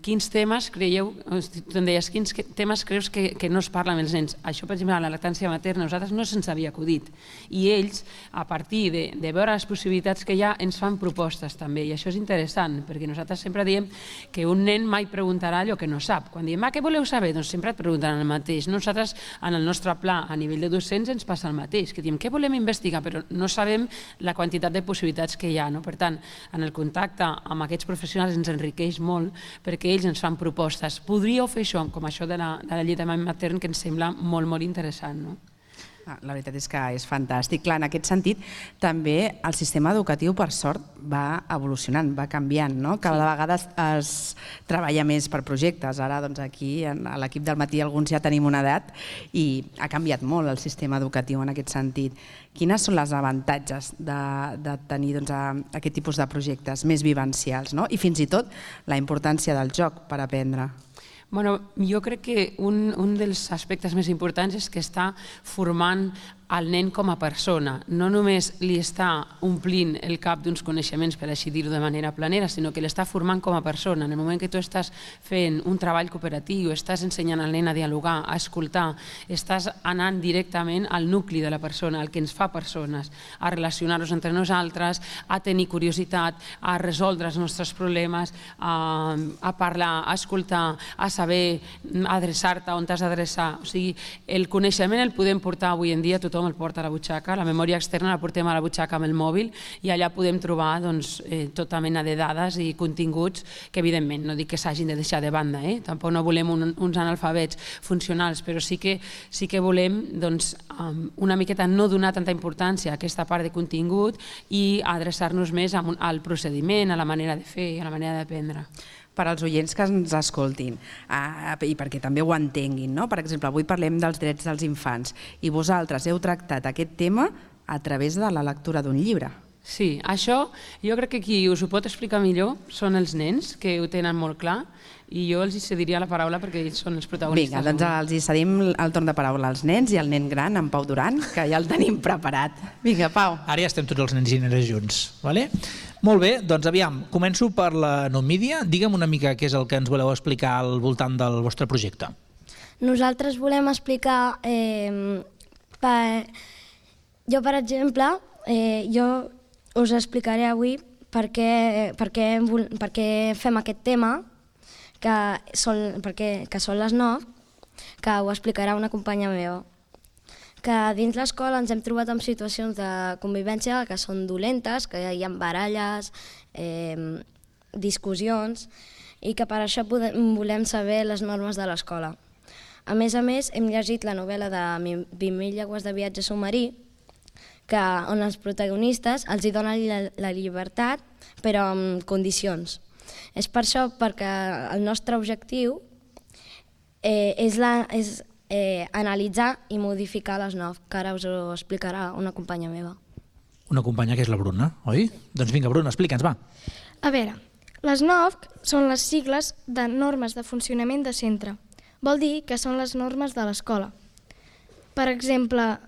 quins temes creieu, tu em deies, quins temes creus que no es parla amb els nens? Això, per exemple, a la lactància materna, nosaltres no se'ns havia acudit. I ells, a partir de veure les possibilitats que hi ha, ens fan propostes també, i això és interessant, perquè nosaltres sempre diem que un nen mai preguntarà allò que no sap. Quan diem, què voleu saber? Doncs sempre et pregunten el mateix. Nosaltres, en el nostre pla, a nivell de docents, ens passa el mateix, que diem, què volem investigar? Però no sabem la quantitat de possibilitats que hi ha. Per tant, en el contacte amb aquests professionals ens enriqueix molt perquè ells ens fan propostes. Podríeu fer això, com això de la alletament matern, que ens sembla molt, molt interessant. La veritat és que és fantàstic. Clar, en aquest sentit, també el sistema educatiu, per sort, va evolucionant, va canviant. Cada vegada es treballa més per projectes. Ara, aquí, a l'equip del matí, alguns ja tenim una edat i ha canviat molt el sistema educatiu en aquest sentit. Quines són els avantatges de tenir aquest tipus de projectes més vivencials i fins i tot la importància del joc per aprendre? Jo crec que un dels aspectes més importants és que està formant el nen com a persona. No només li està omplint el cap d'uns coneixements, per així dir-ho de manera planera, sinó que l'està formant com a persona. En el moment que tu estàs fent un treball cooperatiu, estàs ensenyant al nen a dialogar, a escoltar, estàs anant directament al nucli de la persona, al que ens fa persones, a relacionar-nos entre nosaltres, a tenir curiositat, a resoldre els nostres problemes, a parlar, a escoltar, a saber adreçar-te on t'has d'adreçar. O sigui, el coneixement el podem portar avui en dia, tothom el porta a la butxaca, la memòria externa la portem a la butxaca amb el mòbil i allà podem trobar tota mena de dades i continguts que, evidentment, no dic que s'hagin de deixar de banda, tampoc no volem uns analfabets funcionals, però sí que volem una miqueta no donar tanta importància a aquesta part de contingut i adreçar-nos més al procediment, a la manera de fer, a la manera d'aprendre. Per als oients que ens escoltin i perquè també ho entenguin. Per exemple, avui parlem dels drets dels infants i vosaltres heu tractat aquest tema a través de la lectura d'un llibre. Sí, això jo crec que qui us ho pot explicar millor són els nens, que ho tenen molt clar, i jo els cediria la paraula perquè ells són els protagonistes. Vinga, doncs els cedim el torn de paraula als nens i al nen gran, en Pau Duran, que ja el tenim preparat. Vinga, Pau. Ara ja estem tots els nens i nenes junts, vale? Molt bé, doncs aviam, començo per la Numídia. Digue'm una mica què és el que ens voleu explicar al voltant del vostre projecte. Nosaltres volem explicar... Jo, per exemple, jo us explicaré avui per què fem aquest tema, que són les 9, que ho explicarà una companya meva. Que dins l'escola ens hem trobat en situacions de convivència que són dolentes, que hi ha baralles, discussions, i que per això volem saber les normes de l'escola. A més, hem llegit la novel·la de 20.000 llegües de viatge submarí, on els protagonistes els donen la llibertat, però amb condicions. És per això perquè el nostre objectiu és analitzar i modificar les 9, que ara us ho explicarà una companya meva. Una companya que és la Bruna, oi? Doncs vinga, Bruna, explica'ns, va. A veure, les 9 són les sigles de normes de funcionament de centre. Vol dir que són les normes de l'escola. Per exemple,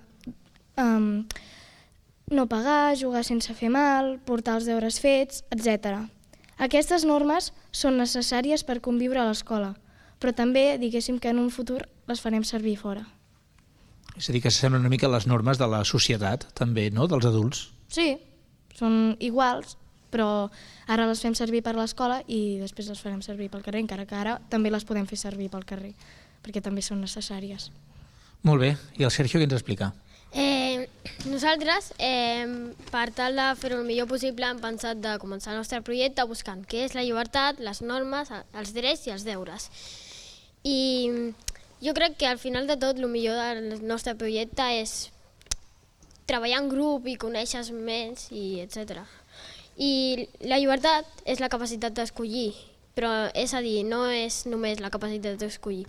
no pagar, jugar sense fer mal, portar els deures fets, etc. Aquestes normes són necessàries per conviure a l'escola, però també, diguéssim que en un futur les farem servir fora. És a dir, que s'assemblen una mica a les normes de la societat, també, no?, dels adults. Sí, són iguals, però ara les fem servir per l'escola i després les farem servir pel carrer, encara que ara també les podem fer servir pel carrer, perquè també són necessàries. Molt bé, i el Sergio què ens explica? Nosaltres, per tal de fer-ho el millor possible, hem pensat de començar el nostre projecte buscant què és la llibertat, les normes, els drets i els deures. I jo crec que al final de tot el millor del nostre projecte és treballar en grup i conèixer més, etc. I la llibertat és la capacitat d'escollir, però és a dir, no és només la capacitat d'escollir.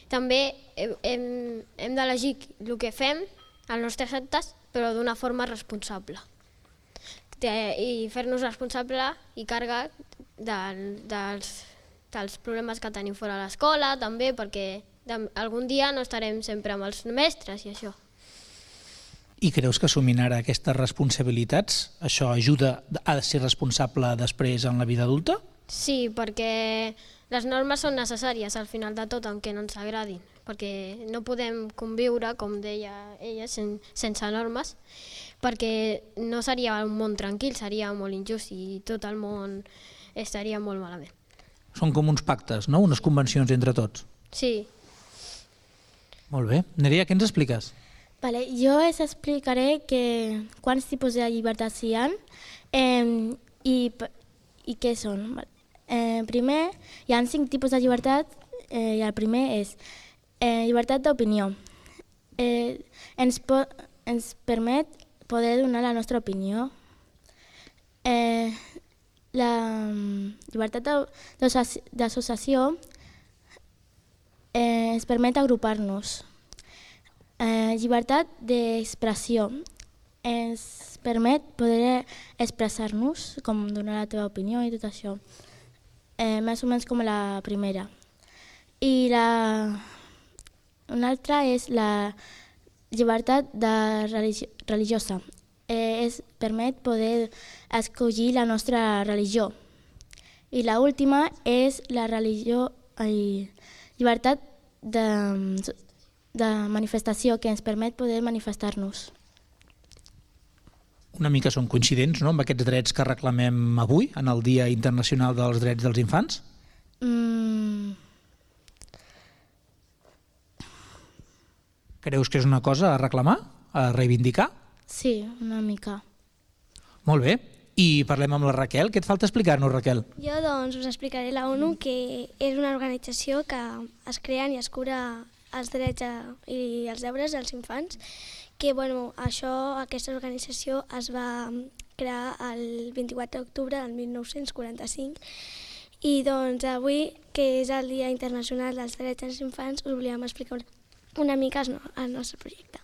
També hem d'elegir el que fem, els nostres actes, però d'una forma responsable. I fer-nos responsable i càrrec dels problemes que tenim fora de l'escola, també, perquè algun dia no estarem sempre amb els mestres i això. I creus que assumint ara aquestes responsabilitats, això ajuda a ser responsable després en la vida adulta? Sí, perquè les normes són necessàries al final de tot, aunque no ens agradin, perquè no podem conviure, com deia ella, sense normes, perquè no seria un món tranquil, seria molt injust i tot el món estaria molt malament. Són com uns pactes, no? Unes convencions entre tots. Sí. Molt bé. Nerea, què ens expliques? Vale, jo us explicaré quants tipus de llibertats hi ha i què són. Primer, hi ha 5 tipus de llibertat i el primer és llibertat d'opinió. Ens permet poder donar la nostra opinió. La llibertat d'associació ens permet agrupar-nos. Llibertat d'expressió ens permet poder expressar-nos, com donar la teva opinió i tot això. Més o menys com la primera. I una altra és la llibertat religiosa. Es permet poder escollir la nostra religió. I l'última és la llibertat de manifestació, que ens permet poder manifestar-nos. Una mica són coincidents, no?, amb aquests drets que reclamem avui, en el Dia Internacional dels Drets dels Infants? Creus que és una cosa a reclamar, a reivindicar? Sí, una mica. Molt bé. I parlem amb la Raquel. Què et falta explicar-nos, Raquel? Jo doncs us explicaré la ONU, que és una organització que es crea i es cura els drets i els deures dels infants, que aquesta organització es va crear el 24 d'octubre del 1945 i doncs avui, que és el Dia Internacional dels Drets dels Infants, us volíem explicar una mica el nostre projecte.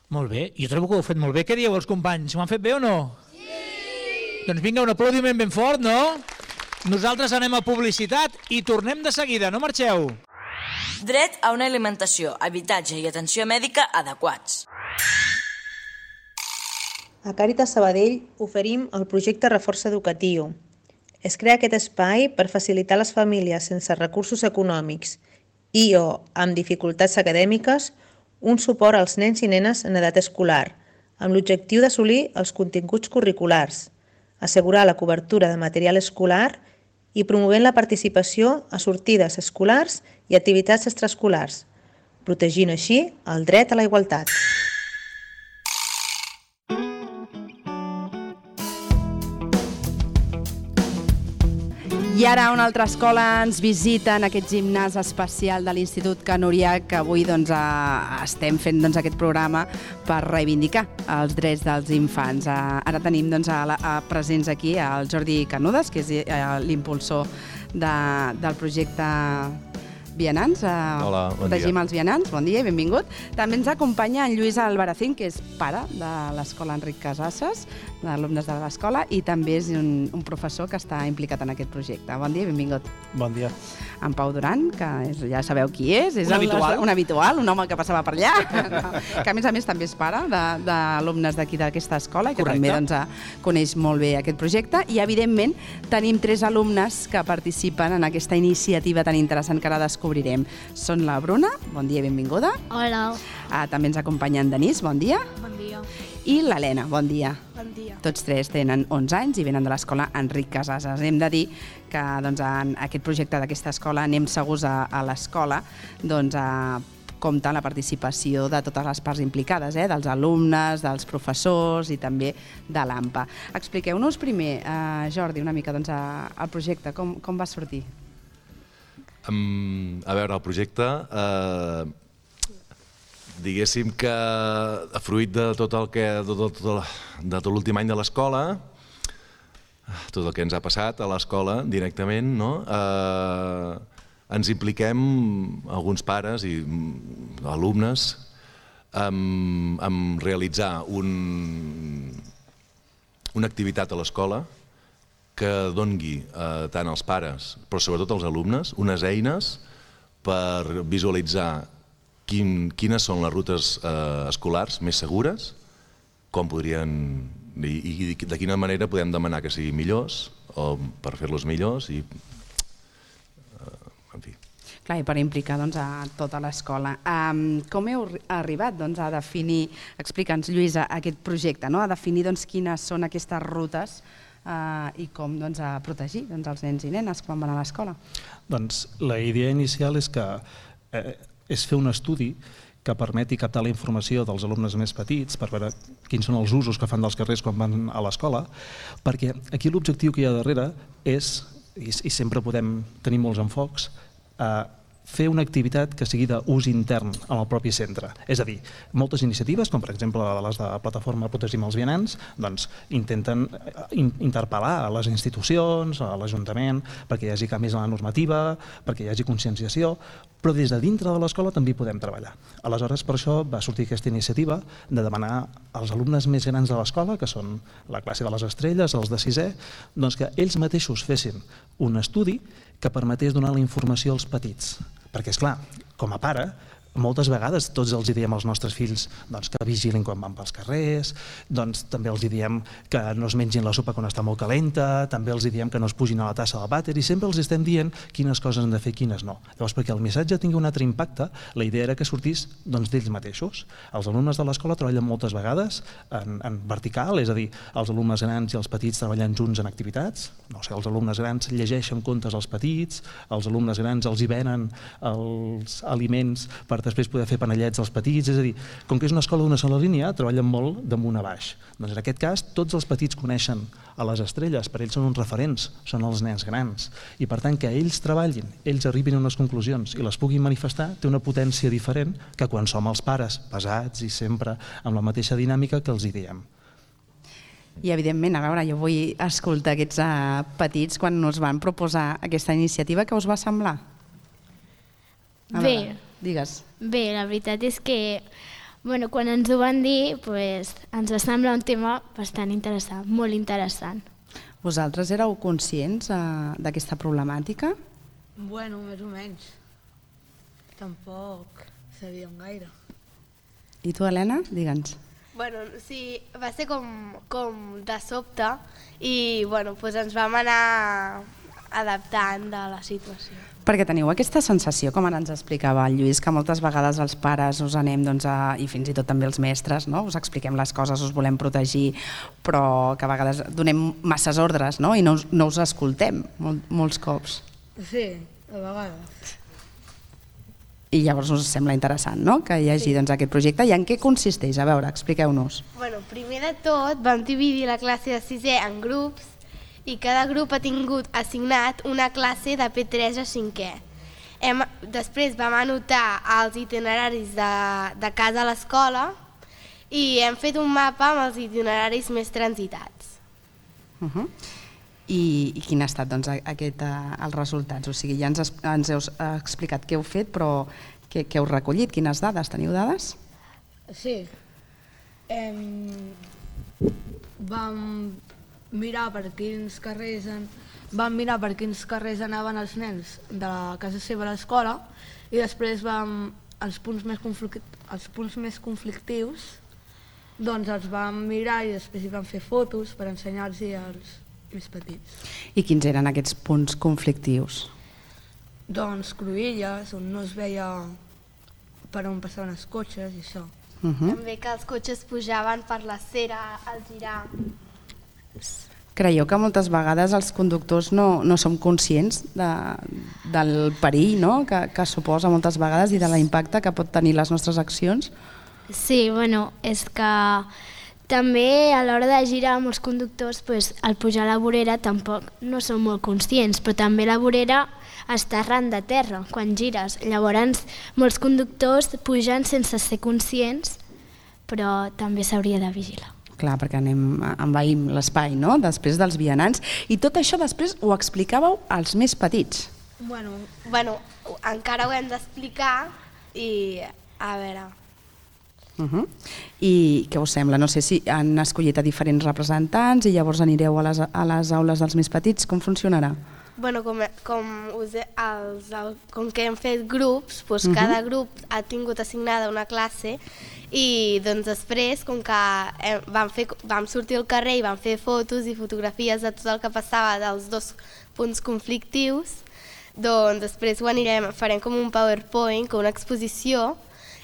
Molt bé. Jo trobo que ho heu fet molt bé. Què dieu els companys? Ho han fet bé o no? Sí! Doncs vinga, un aplaudiment ben fort, no? Nosaltres anem a publicitat i tornem de seguida, no marxeu! Dret a una alimentació, habitatge i atenció mèdica adequats. A Càritas Sabadell oferim el projecte Reforç Educatiu. Es crea aquest espai per facilitar a les famílies sense recursos econòmics i o amb dificultats acadèmiques un suport als nens i nenes en edat escolar, amb l'objectiu d'assolir els continguts curriculars, assegurar la cobertura de material escolar i promovent la participació a sortides escolars i activitats extraescolars, protegint així el dret a la igualtat. I ara una altra escola ens visita en aquest gimnàs especial de l'Institut Can Oriach, que avui estem fent aquest programa per reivindicar els drets dels infants. Ara tenim presents aquí el Jordi Canudes, que és l'impulsor del projecte Vianants. Hola, bon dia. Protegim els vianants, bon dia i benvingut. També ens acompanya en Lluís Albaracín, que és pare de l'escola Enric Casasses, d'alumnes de l'escola, i també és un professor que està implicat en aquest projecte. Bon dia i benvingut. Bon dia. En Pau Duran, que ja sabeu qui és. Un habitual. Un habitual, un home que passava per allà, que a més també és pare d'alumnes d'aquí d'aquesta escola i que també coneix molt bé aquest projecte. I, evidentment, tenim 3 alumnes que participen en aquesta iniciativa tan interessant que ara descobrirem. Són la Bruna, bon dia i benvinguda. Hola. També ens acompanya en Denís, bon dia. Bon dia. I l'Helena, bon dia. Bon dia. Tots 3 tenen 11 anys i venen de l'escola Enric Casasses. Hem de dir que en aquest projecte d'aquesta escola Anem Segurs a l'Escola compta amb la participació de totes les parts implicades, dels alumnes, dels professors i també de l'AMPA. Expliqueu-nos primer, Jordi, una mica el projecte, com va sortir? A veure, el projecte, diguéssim que fruit de tot l'últim any de l'escola, tot el que ens ha passat a l'escola directament, ens impliquem alguns pares i alumnes en realitzar una activitat a l'escola que dongui tant als pares, però sobretot als alumnes, unes eines per visualitzar quines són les rutes escolars més segures, com podrien i de quina manera podem demanar que siguin millors o per fer-los millors i en fi. Clar, i per implicar a tota l'escola. Com heu arribat a definir, explica'ns, Lluïsa, aquest projecte, a definir quines són aquestes rutes i com a protegir els nens i nenes quan van a l'escola? Doncs la idea inicial és fer un estudi que permeti captar la informació dels alumnes més petits per veure quins són els usos que fan dels carrers quan van a l'escola, perquè aquí l'objectiu que hi ha darrere és, i sempre podem tenir molts enfocs, fer una activitat que sigui d'ús intern en el propi centre. És a dir, moltes iniciatives, com per exemple les de la plataforma Protegim els Vianants, intenten interpel·lar a les institucions, a l'Ajuntament, perquè hi hagi canvis en la normativa, perquè hi hagi conscienciació, però des de dintre de l'escola també hi podem treballar. Aleshores, per això va sortir aquesta iniciativa de demanar als alumnes més grans de l'escola, que són la classe de les estrelles, els de sisè, que ells mateixos fessin un estudi que permetés donar la informació als petits. Perquè, esclar, com a pare, moltes vegades tots els diem als nostres fills que vigilin quan van pels carrers, també els diem que no es mengin la sopa quan està molt calenta, també els diem que no es pugin a la tassa del vàter i sempre els estem dient quines coses han de fer i quines no. Llavors, perquè el missatge tingui un altre impacte, la idea era que sortís d'ells mateixos. Els alumnes de l'escola treballen moltes vegades en vertical, és a dir, els alumnes grans i els petits treballen junts en activitats, els alumnes grans llegeixen contes als petits, els alumnes grans els hi venen els aliments per després poder fer panellets als petits, és a dir, com que és una escola d'una sola línia, treballen molt d'amunt a baix. Doncs en aquest cas, tots els petits coneixen a les estrelles, per ells són uns referents, són els nens grans, i per tant que ells treballin, ells arribin a unes conclusions i les puguin manifestar, té una potència diferent que quan som els pares pesats i sempre amb la mateixa dinàmica que els hi diem. I evidentment, a veure, jo vull escoltar aquests petits quan us van proposar aquesta iniciativa, què us va semblar? Bé. Digues. Bé, la veritat és que quan ens ho van dir ens va semblar un tema bastant interessant, molt interessant. Vosaltres éreu conscients d'aquesta problemàtica? Bueno, més o menys. Tampoc sabíem gaire. I tu, Helena? Digue'ns. Bueno, sí, va ser com de sobte i ens vam anar adaptant de la situació. Perquè teniu aquesta sensació, com ara ens explicava el Lluís, que moltes vegades els pares us anem, i fins i tot també els mestres, us expliquem les coses, us volem protegir, però que a vegades donem masses ordres i no us escoltem molts cops. Sí, a vegades. I llavors us sembla interessant que hi hagi aquest projecte. I en què consisteix? A veure, expliqueu-nos. Primer de tot vam dividir la classe de sisè en grups i cada grup ha tingut assignat una classe de P3 a 5è. Després vam anotar els itineraris de casa a l'escola i hem fet un mapa amb els itineraris més transitats. I quin ha estat els resultats? O sigui, ja ens heu explicat què heu fet, però què heu recollit? Quines dades? Teniu dades? Sí. Vam mirar per quins carrers anaven els nens de la casa seva a l'escola i després els punts més conflictius els vam mirar i després hi vam fer fotos per ensenyar-los als més petits. I quins eren aquests punts conflictius? Doncs cruïlles, on no es veia per on passaven els cotxes i això. També que els cotxes pujaven per la cera al girar. Creieu que moltes vegades els conductors no som conscients del perill que suposa moltes vegades i de l'impacte que pot tenir les nostres accions? Sí, és que també a l'hora de girar molts conductors al pujar a la vorera tampoc no són molt conscients, però també la vorera està arran de terra quan gires. Llavors molts conductors pugen sense ser conscients, però també s'hauria de vigilar. Clar, perquè envaïm l'espai, després dels vianants. I tot això després ho explicàveu als més petits. Bueno, encara ho hem d'explicar i a veure... I què us sembla? No sé si han escollit a diferents representants i llavors anireu a les aules dels més petits. Com funcionarà? bueno, com que hem fet grups, doncs cada grup ha tingut assignada una classe i doncs després, com que vam sortir al carrer i vam fer fotos i fotografies de tot el que passava dels dos punts conflictius, doncs després farem com un PowerPoint, com una exposició,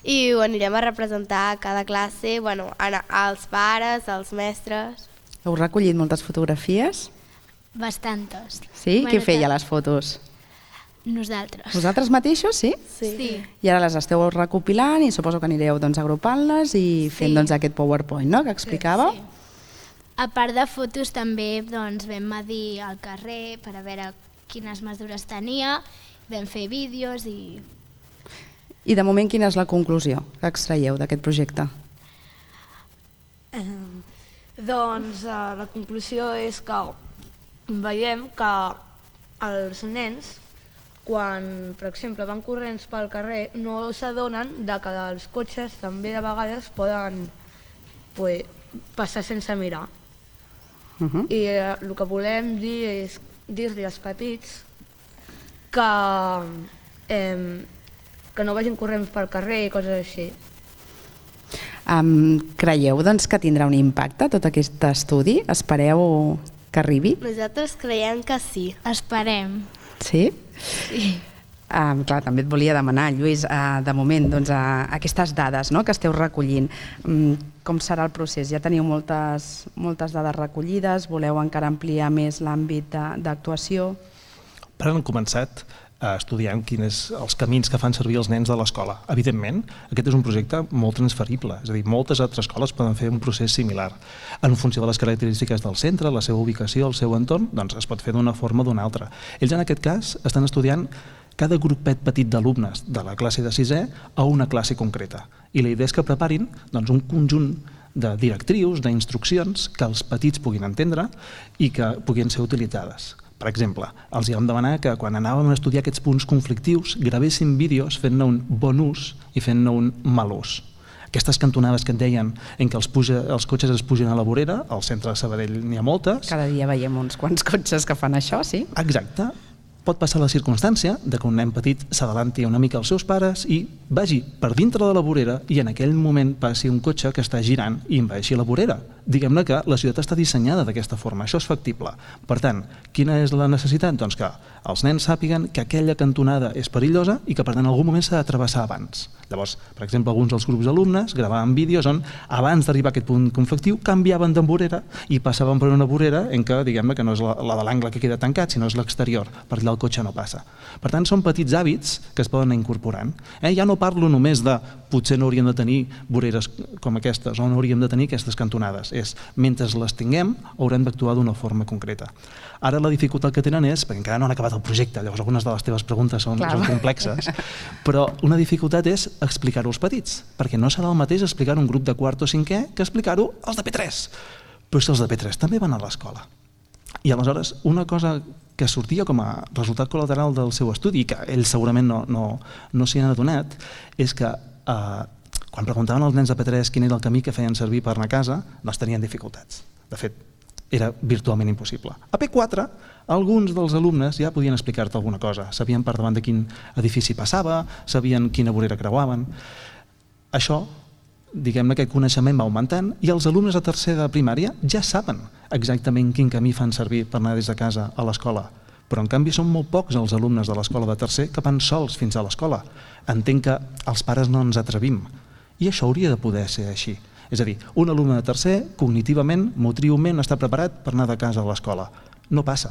i ho anirem a representar a cada classe, als pares, als mestres. Heu recollit moltes fotografies? Bastantes. Sí? Qui feia les fotos? Nosaltres. Vosaltres mateixos, sí? Sí. I ara les esteu recopilant i suposo que anireu agrupant-les i fent aquest PowerPoint, no?, que explicava. Sí. A part de fotos també vam medir al carrer per a veure quines mesures tenia, vam fer vídeos i... I de moment quina és la conclusió que extraieu d'aquest projecte? Doncs la conclusió és que veiem que els nens, quan, per exemple, van corrents pel carrer, no s'adonen que els cotxes també de vegades poden passar sense mirar. I el que volem dir és dir-li als petits que no vagin corrents pel carrer i coses així. Creieu que tindrà un impacte tot aquest estudi? Espereu que arribi? Nosaltres creiem que sí. Esperem. Sí? Sí. Clar, també et volia demanar, Lluís, de moment, aquestes dades que esteu recollint, com serà el procés? Ja teniu moltes dades recollides, voleu encara ampliar més l'àmbit d'actuació? Ara han començat estudiant quins els camins que fan servir els nens de l'escola. Evidentment, aquest és un projecte molt transferible, és a dir, moltes altres escoles poden fer un procés similar. En funció de les característiques del centre, la seva ubicació, el seu entorn, doncs es pot fer d'una forma o d'una altra. Ells en aquest cas estan estudiant cada grupet petit d'alumnes de la classe de 6è a una classe concreta. I la idea és que preparin un conjunt de directrius, d'instruccions que els petits puguin entendre i que puguin ser utilitzades. Per exemple, els vam demanar que quan anàvem a estudiar aquests punts conflictius gravessin vídeos fent-ne un bon ús i fent-ne un mal ús. Aquestes cantonades que et deien en què els cotxes es pugen a la vorera, al centre de Sabadell n'hi ha moltes. Cada dia veiem uns quants cotxes que fan això, sí? Exacte. Pot passar la circumstància que un nen petit s'adalanti una mica als seus pares i vagi per dintre de la vorera i en aquell moment passi un cotxe que està girant i envaeixi la vorera. Diguem-ne que la ciutat està dissenyada d'aquesta forma, això és factible. Per tant, quina és la necessitat? Doncs que els nens sàpiguen que aquella cantonada és perillosa i que per tant en algun moment s'ha de travessar abans. Llavors, per exemple, alguns dels grups d'alumnes gravaven vídeos on abans d'arribar a aquest punt conflictiu canviaven de vorera i passaven per una vorera en què, diguem-ne, que no és la de l'angle que queda tancat, sinó és l'exterior, per allà el cotxe no passa. Per tant, són petits hàbits que es poden anar incorporant. Ja no parlo només de potser no hauríem de tenir voreres com aquestes o no hauríem de tenir aquestes cantonades. Mentre les tinguem, haurem d'actuar d'una forma concreta. Ara la dificultat que tenen és, perquè encara no han acabat el projecte, llavors algunes de les teves preguntes són complexes, però una dificultat és explicar-ho als petits, perquè no serà el mateix explicar un grup de quart o cinquè que explicar-ho als de P3. Però si els de P3 també van a l'escola. I aleshores, una cosa que sortia com a resultat col·lateral del seu estudi, que ells segurament no s'hi han adonat, és que quan preguntaven als nens de P3 quin era el camí que feien servir per anar a casa, doncs tenien dificultats. De fet, era virtualment impossible. A P4, alguns dels alumnes ja podien explicar-te alguna cosa. Sabien per davant de quin edifici passava, sabien quina vorera creuaven. Això, diguem-ne, aquest coneixement va augmentant i els alumnes de tercer de primària ja saben exactament quin camí fan servir per anar des de casa a l'escola. Però en canvi són molt pocs els alumnes de l'escola de tercer que van sols fins a l'escola. Entenc que els pares no ens atrevim. I això hauria de poder ser així. És a dir, un alumne de tercer, cognitivament, motriument, està preparat per anar de casa a l'escola. No passa.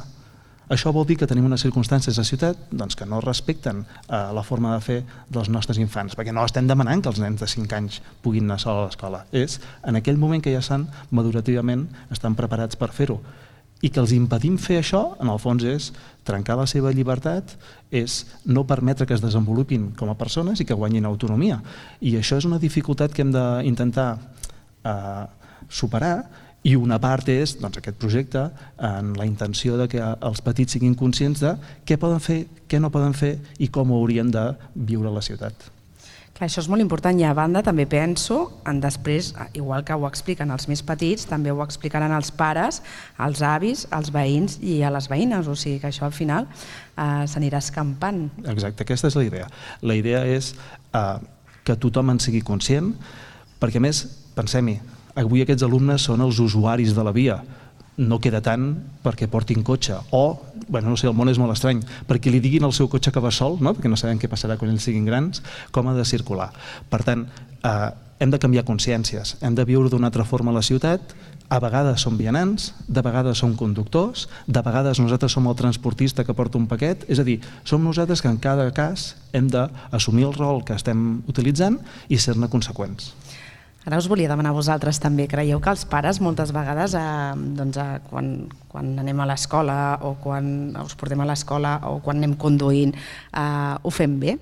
Això vol dir que tenim unes circumstàncies a la ciutat que no respecten la forma de fer dels nostres infants, perquè no estem demanant que els nens de 5 anys puguin anar sols a l'escola. És en aquell moment que ja madurativament estan preparats per fer-ho. I que els impedim fer això, en el fons, és trencar la seva llibertat, és no permetre que es desenvolupin com a persones i que guanyin autonomia. I això és una dificultat que hem d'intentar superar, i una part és aquest projecte en la intenció de que els petits siguin conscients de què poden fer, què no poden fer i com haurien de viure a la ciutat. Això és molt important i a banda també penso en després, igual que ho expliquen els més petits, també ho explicaran els pares, els avis, els veïns i a les veïnes, o sigui que això al final s'anirà escampant. Exacte, aquesta és la idea. La idea és que tothom en sigui conscient, perquè a més, pensem-hi, avui aquests alumnes són els usuaris de la via, no queda tant perquè portin cotxe o, no sé, el món és molt estrany, perquè li diguin al seu cotxe que va sol, perquè no sabem què passarà quan ells siguin grans, com ha de circular. Per tant, hem de canviar consciències, hem de viure d'una altra forma a la ciutat, a vegades som vianants, de vegades som conductors, de vegades nosaltres som el transportista que porta un paquet, és a dir, som nosaltres que en cada cas hem d'assumir el rol que estem utilitzant i ser-ne conseqüents. Ara us volia demanar a vosaltres també, creieu que els pares moltes vegades quan anem a l'escola o quan us portem a l'escola o quan anem conduint ho fem bé?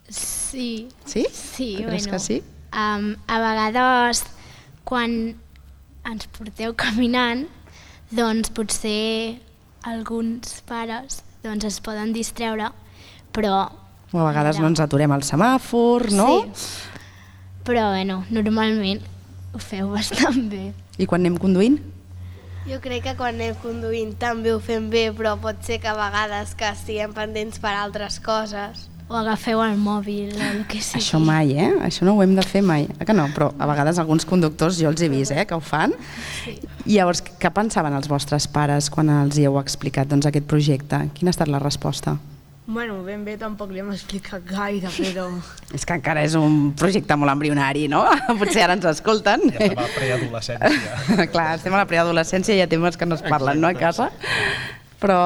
Sí. Sí? Sí, creus que sí? A vegades quan ens porteu caminant, doncs potser alguns pares es poden distreure, però... O a vegades no ens aturem al semàfor, no? Sí. Però, normalment ho feu bastant bé. I quan anem conduint? Jo crec que quan anem conduint també ho fem bé, però pot ser que a vegades que estiguem pendents per altres coses. O agafeu el mòbil o el que sigui. Això mai, Això no ho hem de fer mai. Que no? Però a vegades alguns conductors jo els he vist, que ho fan. Sí. I llavors, què pensaven els vostres pares quan els hi heu explicat aquest projecte? Quina ha estat la resposta? Bueno, ben bé tampoc li hem explicat gaire, però... És que encara és un projecte molt embrionari, no? Potser ara ens escolten. Ja estem a la preadolescència. Clar, estem a la preadolescència i hi ha temes que no es parlen, no, a casa? Però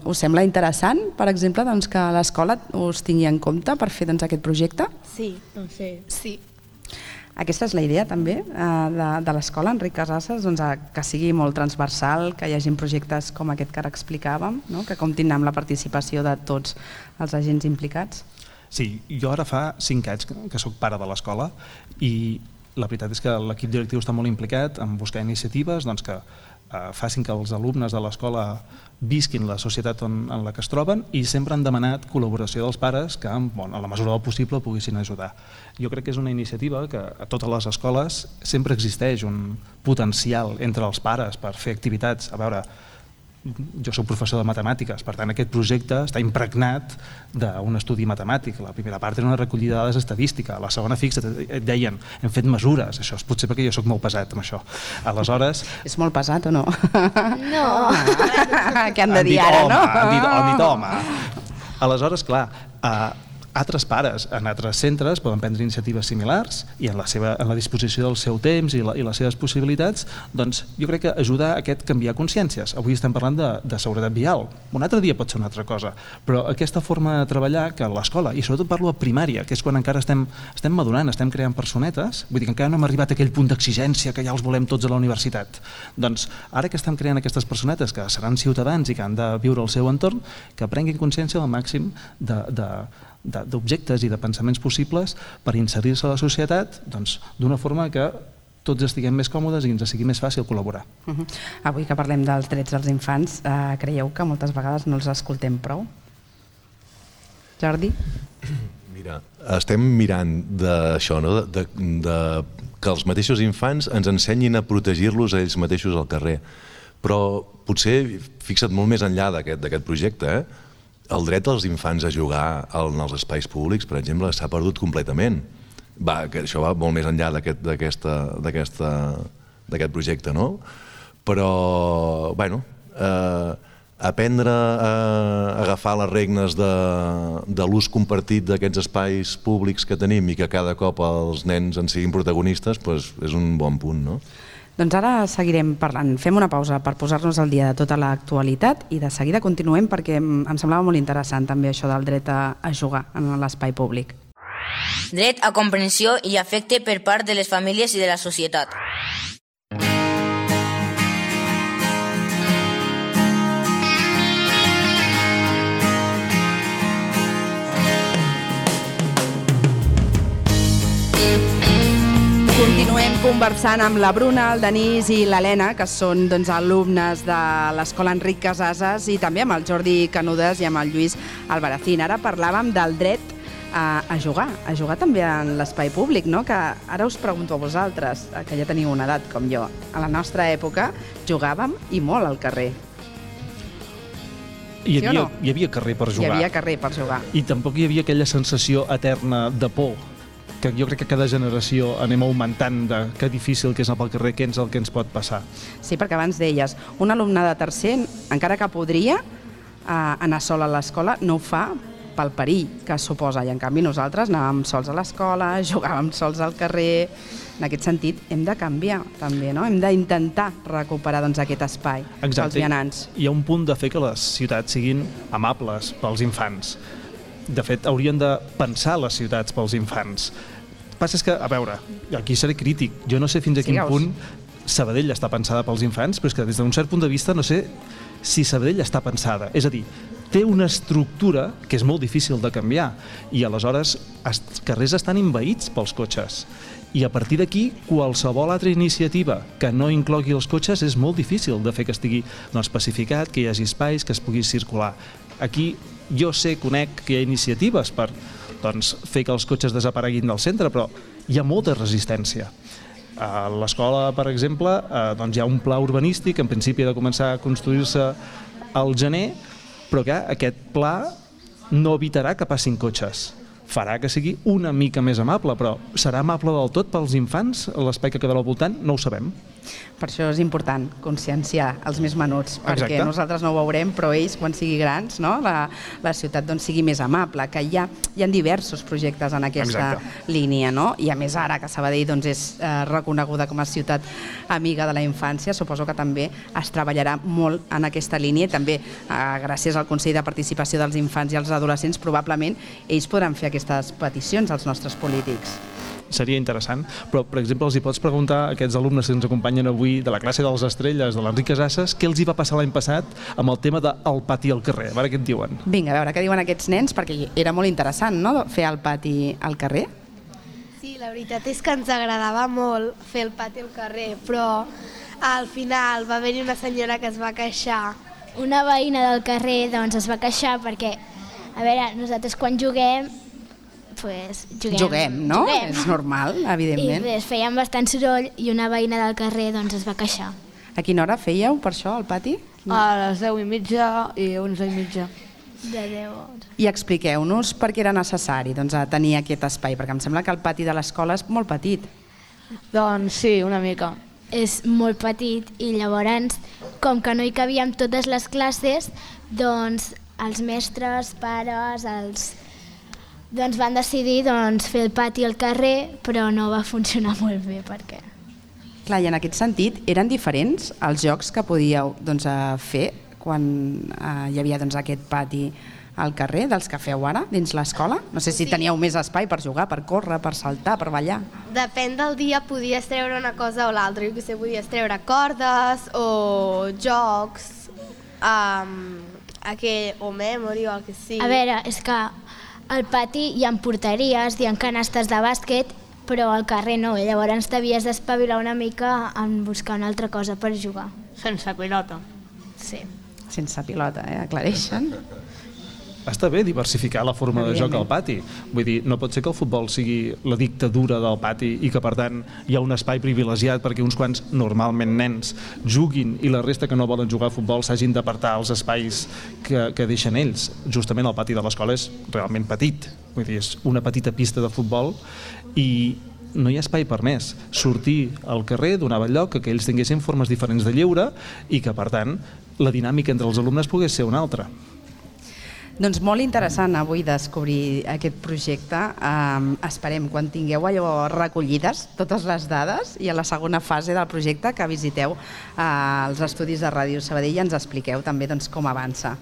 us sembla interessant, per exemple, que l'escola us tingui en compte per fer aquest projecte? Sí, sí. Aquesta és la idea també de l'escola Enric Casassas, que sigui molt transversal, que hi hagi projectes com aquest que ara explicàvem, que comptin amb la participació de tots els agents implicats. Sí, jo ara fa 5 anys que soc pare de l'escola i la veritat és que l'equip directiu està molt implicat en buscar iniciatives que facin que els alumnes de l'escola visquin la societat en la que es troben i sempre han demanat col·laboració dels pares que, en la mesura del possible, poguessin ajudar. Jo crec que és una iniciativa que a totes les escoles sempre existeix un potencial entre els pares per fer activitats. A veure, jo soc professor de matemàtiques, per tant aquest projecte està impregnat d'un estudi matemàtic. La primera part era una recollida de dades estadística, la segona fixa, et deien, hem fet mesures, això és potser perquè jo soc molt pesat amb això. Aleshores... És molt pesat o no? No. Què han de dir ara, no? Han dit home. Aleshores, clar, altres pares en altres centres poden prendre iniciatives similars i en la disposició del seu temps i les seves possibilitats, doncs jo crec que ajuda a aquest canviar consciències. Avui estem parlant de seguretat vial, un altre dia pot ser una altra cosa, però aquesta forma de treballar que a l'escola, i sobretot parlo a primària, que és quan encara estem madurant, estem creant personetes, vull dir que encara no hem arribat a aquell punt d'exigència que ja els volem tots a la universitat. Doncs ara que estem creant aquestes personetes que seran ciutadans i que han de viure el seu entorn, que prenguin consciència del màxim d'objectes i de pensaments possibles per inserir-se a la societat d'una forma que tots estiguem més còmodes i ens sigui més fàcil col·laborar. Avui que parlem dels drets dels infants, creieu que moltes vegades no els escoltem prou? Jordi? Mira, estem mirant d'això, no? Que els mateixos infants ens ensenyin a protegir-los a ells mateixos al carrer. Però potser, fixa't molt més enllà d'aquest projecte, el dret dels infants a jugar en els espais públics, per exemple, s'ha perdut completament. Això va molt més enllà d'aquest projecte, no? Però, bueno, aprendre a agafar les regnes de l'ús compartit d'aquests espais públics que tenim i que cada cop els nens en siguin protagonistes, és un bon punt, no? Doncs ara seguirem parlant. Fem una pausa per posar-nos al dia de tota l'actualitat i de seguida continuem perquè em semblava molt interessant també això del dret a jugar en l'espai públic. Dret a comprensió i afecte per part de les famílies i de la societat. Continuem conversant amb la Bruna, el Denís i l'Helena, que són alumnes de l'Escola Enric Casassas, i també amb el Jordi Canudes i amb el Lluís Albaracín. Ara parlàvem del dret a jugar també en l'espai públic, no? Que ara us pregunto a vosaltres, que ja teniu una edat com jo. A la nostra època jugàvem i molt al carrer. Hi havia carrer per jugar. Hi havia carrer per jugar. I tampoc hi havia aquella sensació eterna de por, que jo crec que cada generació anem augmentant de que difícil que és anar pel carrer, què és el que ens pot passar. Sí, perquè abans deies, un alumne de tercer, encara que podria anar sol a l'escola, no ho fa pel perill que suposa, i en canvi nosaltres anàvem sols a l'escola, jugàvem sols al carrer. En aquest sentit hem de canviar també, no? Hem d'intentar recuperar aquest espai pels vianants. Hi ha un punt de fer que les ciutats siguin amables pels infants. De fet, haurien de pensar les ciutats pels infants. El que passa és que, a veure, aquí seré crític, jo no sé fins a quin punt Sabadell està pensada pels infants, però és que des d'un cert punt de vista no sé si Sabadell està pensada. És a dir, té una estructura que és molt difícil de canviar i aleshores els carrers estan envaïts pels cotxes. I a partir d'aquí, qualsevol altra iniciativa que no inclogui els cotxes és molt difícil de fer que estigui especificat, que hi hagi espais, que es pugui circular. Aquí jo conec que hi ha iniciatives per fer que els cotxes desapareguin del centre, però hi ha molta resistència. A l'escola, per exemple, hi ha un pla urbanístic, en principi ha de començar a construir-se al gener, però que aquest pla no evitarà que passin cotxes. Farà que sigui una mica més amable, però serà amable del tot pels infants? L'espai que quedarà al voltant no ho sabem. Per això és important conscienciar els més menuts, perquè nosaltres no ho veurem, però ells, quan siguin grans, la ciutat sigui més amable, que hi ha diversos projectes en aquesta línia, i a més ara que Sabadell és reconeguda com a ciutat amiga de la infància, suposo que també es treballarà molt en aquesta línia i també gràcies al Consell de Participació dels Infants i els Adolescents probablement ells podran fer aquestes peticions als nostres polítics. Seria interessant, però per exemple els hi pots preguntar a aquests alumnes que ens acompanyen avui de la classe dels Estrelles, de l'Enric Casasses, què els hi va passar l'any passat amb el tema del pati al carrer. A veure què et diuen. Vinga, a veure què diuen aquests nens, perquè era molt interessant, no?, fer el pati al carrer. Sí, la veritat és que ens agradava molt fer el pati al carrer, però al final va haver-hi una senyora que es va queixar. Una veïna del carrer es va queixar perquè, a veure, nosaltres quan juguem juguem, no? És normal, evidentment. I fèiem bastant soroll i una veïna del carrer es va queixar. A quina hora fèieu per això, al pati? A les 10:30 i 11:30. De 10. I expliqueu-nos per què era necessari tenir aquest espai, perquè em sembla que el pati de l'escola és molt petit. Doncs sí, una mica. És molt petit i llavors, com que no hi cabíem totes les classes, doncs els mestres, pares, van decidir fer el pati al carrer, però no va funcionar molt bé perquè... Clar, i en aquest sentit, eren diferents els jocs que podíeu fer quan hi havia aquest pati al carrer dels que feu ara dins l'escola? No sé si teníeu més espai per jugar, per córrer, per saltar, per ballar. Depèn del dia, podies treure una cosa o l'altra. Jo que sé, podies treure cordes o jocs, o memory o el que sigui. A veure, és que al pati hi ha porteries, hi ha canastes de bàsquet, però al carrer no, i llavors t'havies d'espavilar una mica en buscar una altra cosa per jugar. Sense pilota. Sí. Sense pilota, aclareixen. Està bé diversificar la forma de joc al pati. Vull dir, no pot ser que el futbol sigui la dictadura del pati i que, per tant, hi ha un espai privilegiat perquè uns quants, normalment nens, juguin i la resta que no volen jugar a futbol s'hagin d'apartar als espais que deixen ells. Justament el pati de l'escola és realment petit. Vull dir, és una petita pista de futbol i no hi ha espai per més. Sortir al carrer, donar lloc que ells tinguessin formes diferents de lleure i que, per tant, la dinàmica entre els alumnes pogués ser una altra. Doncs molt interessant avui descobrir aquest projecte. Esperem quan tingueu allò recollides, totes les dades, i a la segona fase del projecte que visiteu els estudis de Ràdio Sabadell i ens expliqueu també com avança.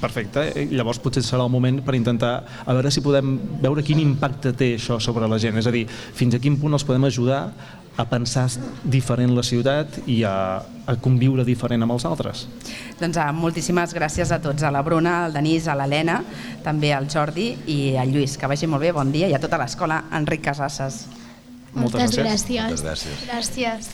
Perfecte, llavors potser serà el moment per intentar a veure si podem veure quin impacte té això sobre la gent, és a dir, fins a quin punt els podem ajudar a pensar diferent la ciutat i a conviure diferent amb els altres. Doncs moltíssimes gràcies a tots, a la Bruna, al Denís, a l'Helena, també al Jordi i al Lluís. Que vagi molt bé, bon dia, i a tota l'escola Enric Casasses. Moltes gràcies. Moltes gràcies. Gràcies.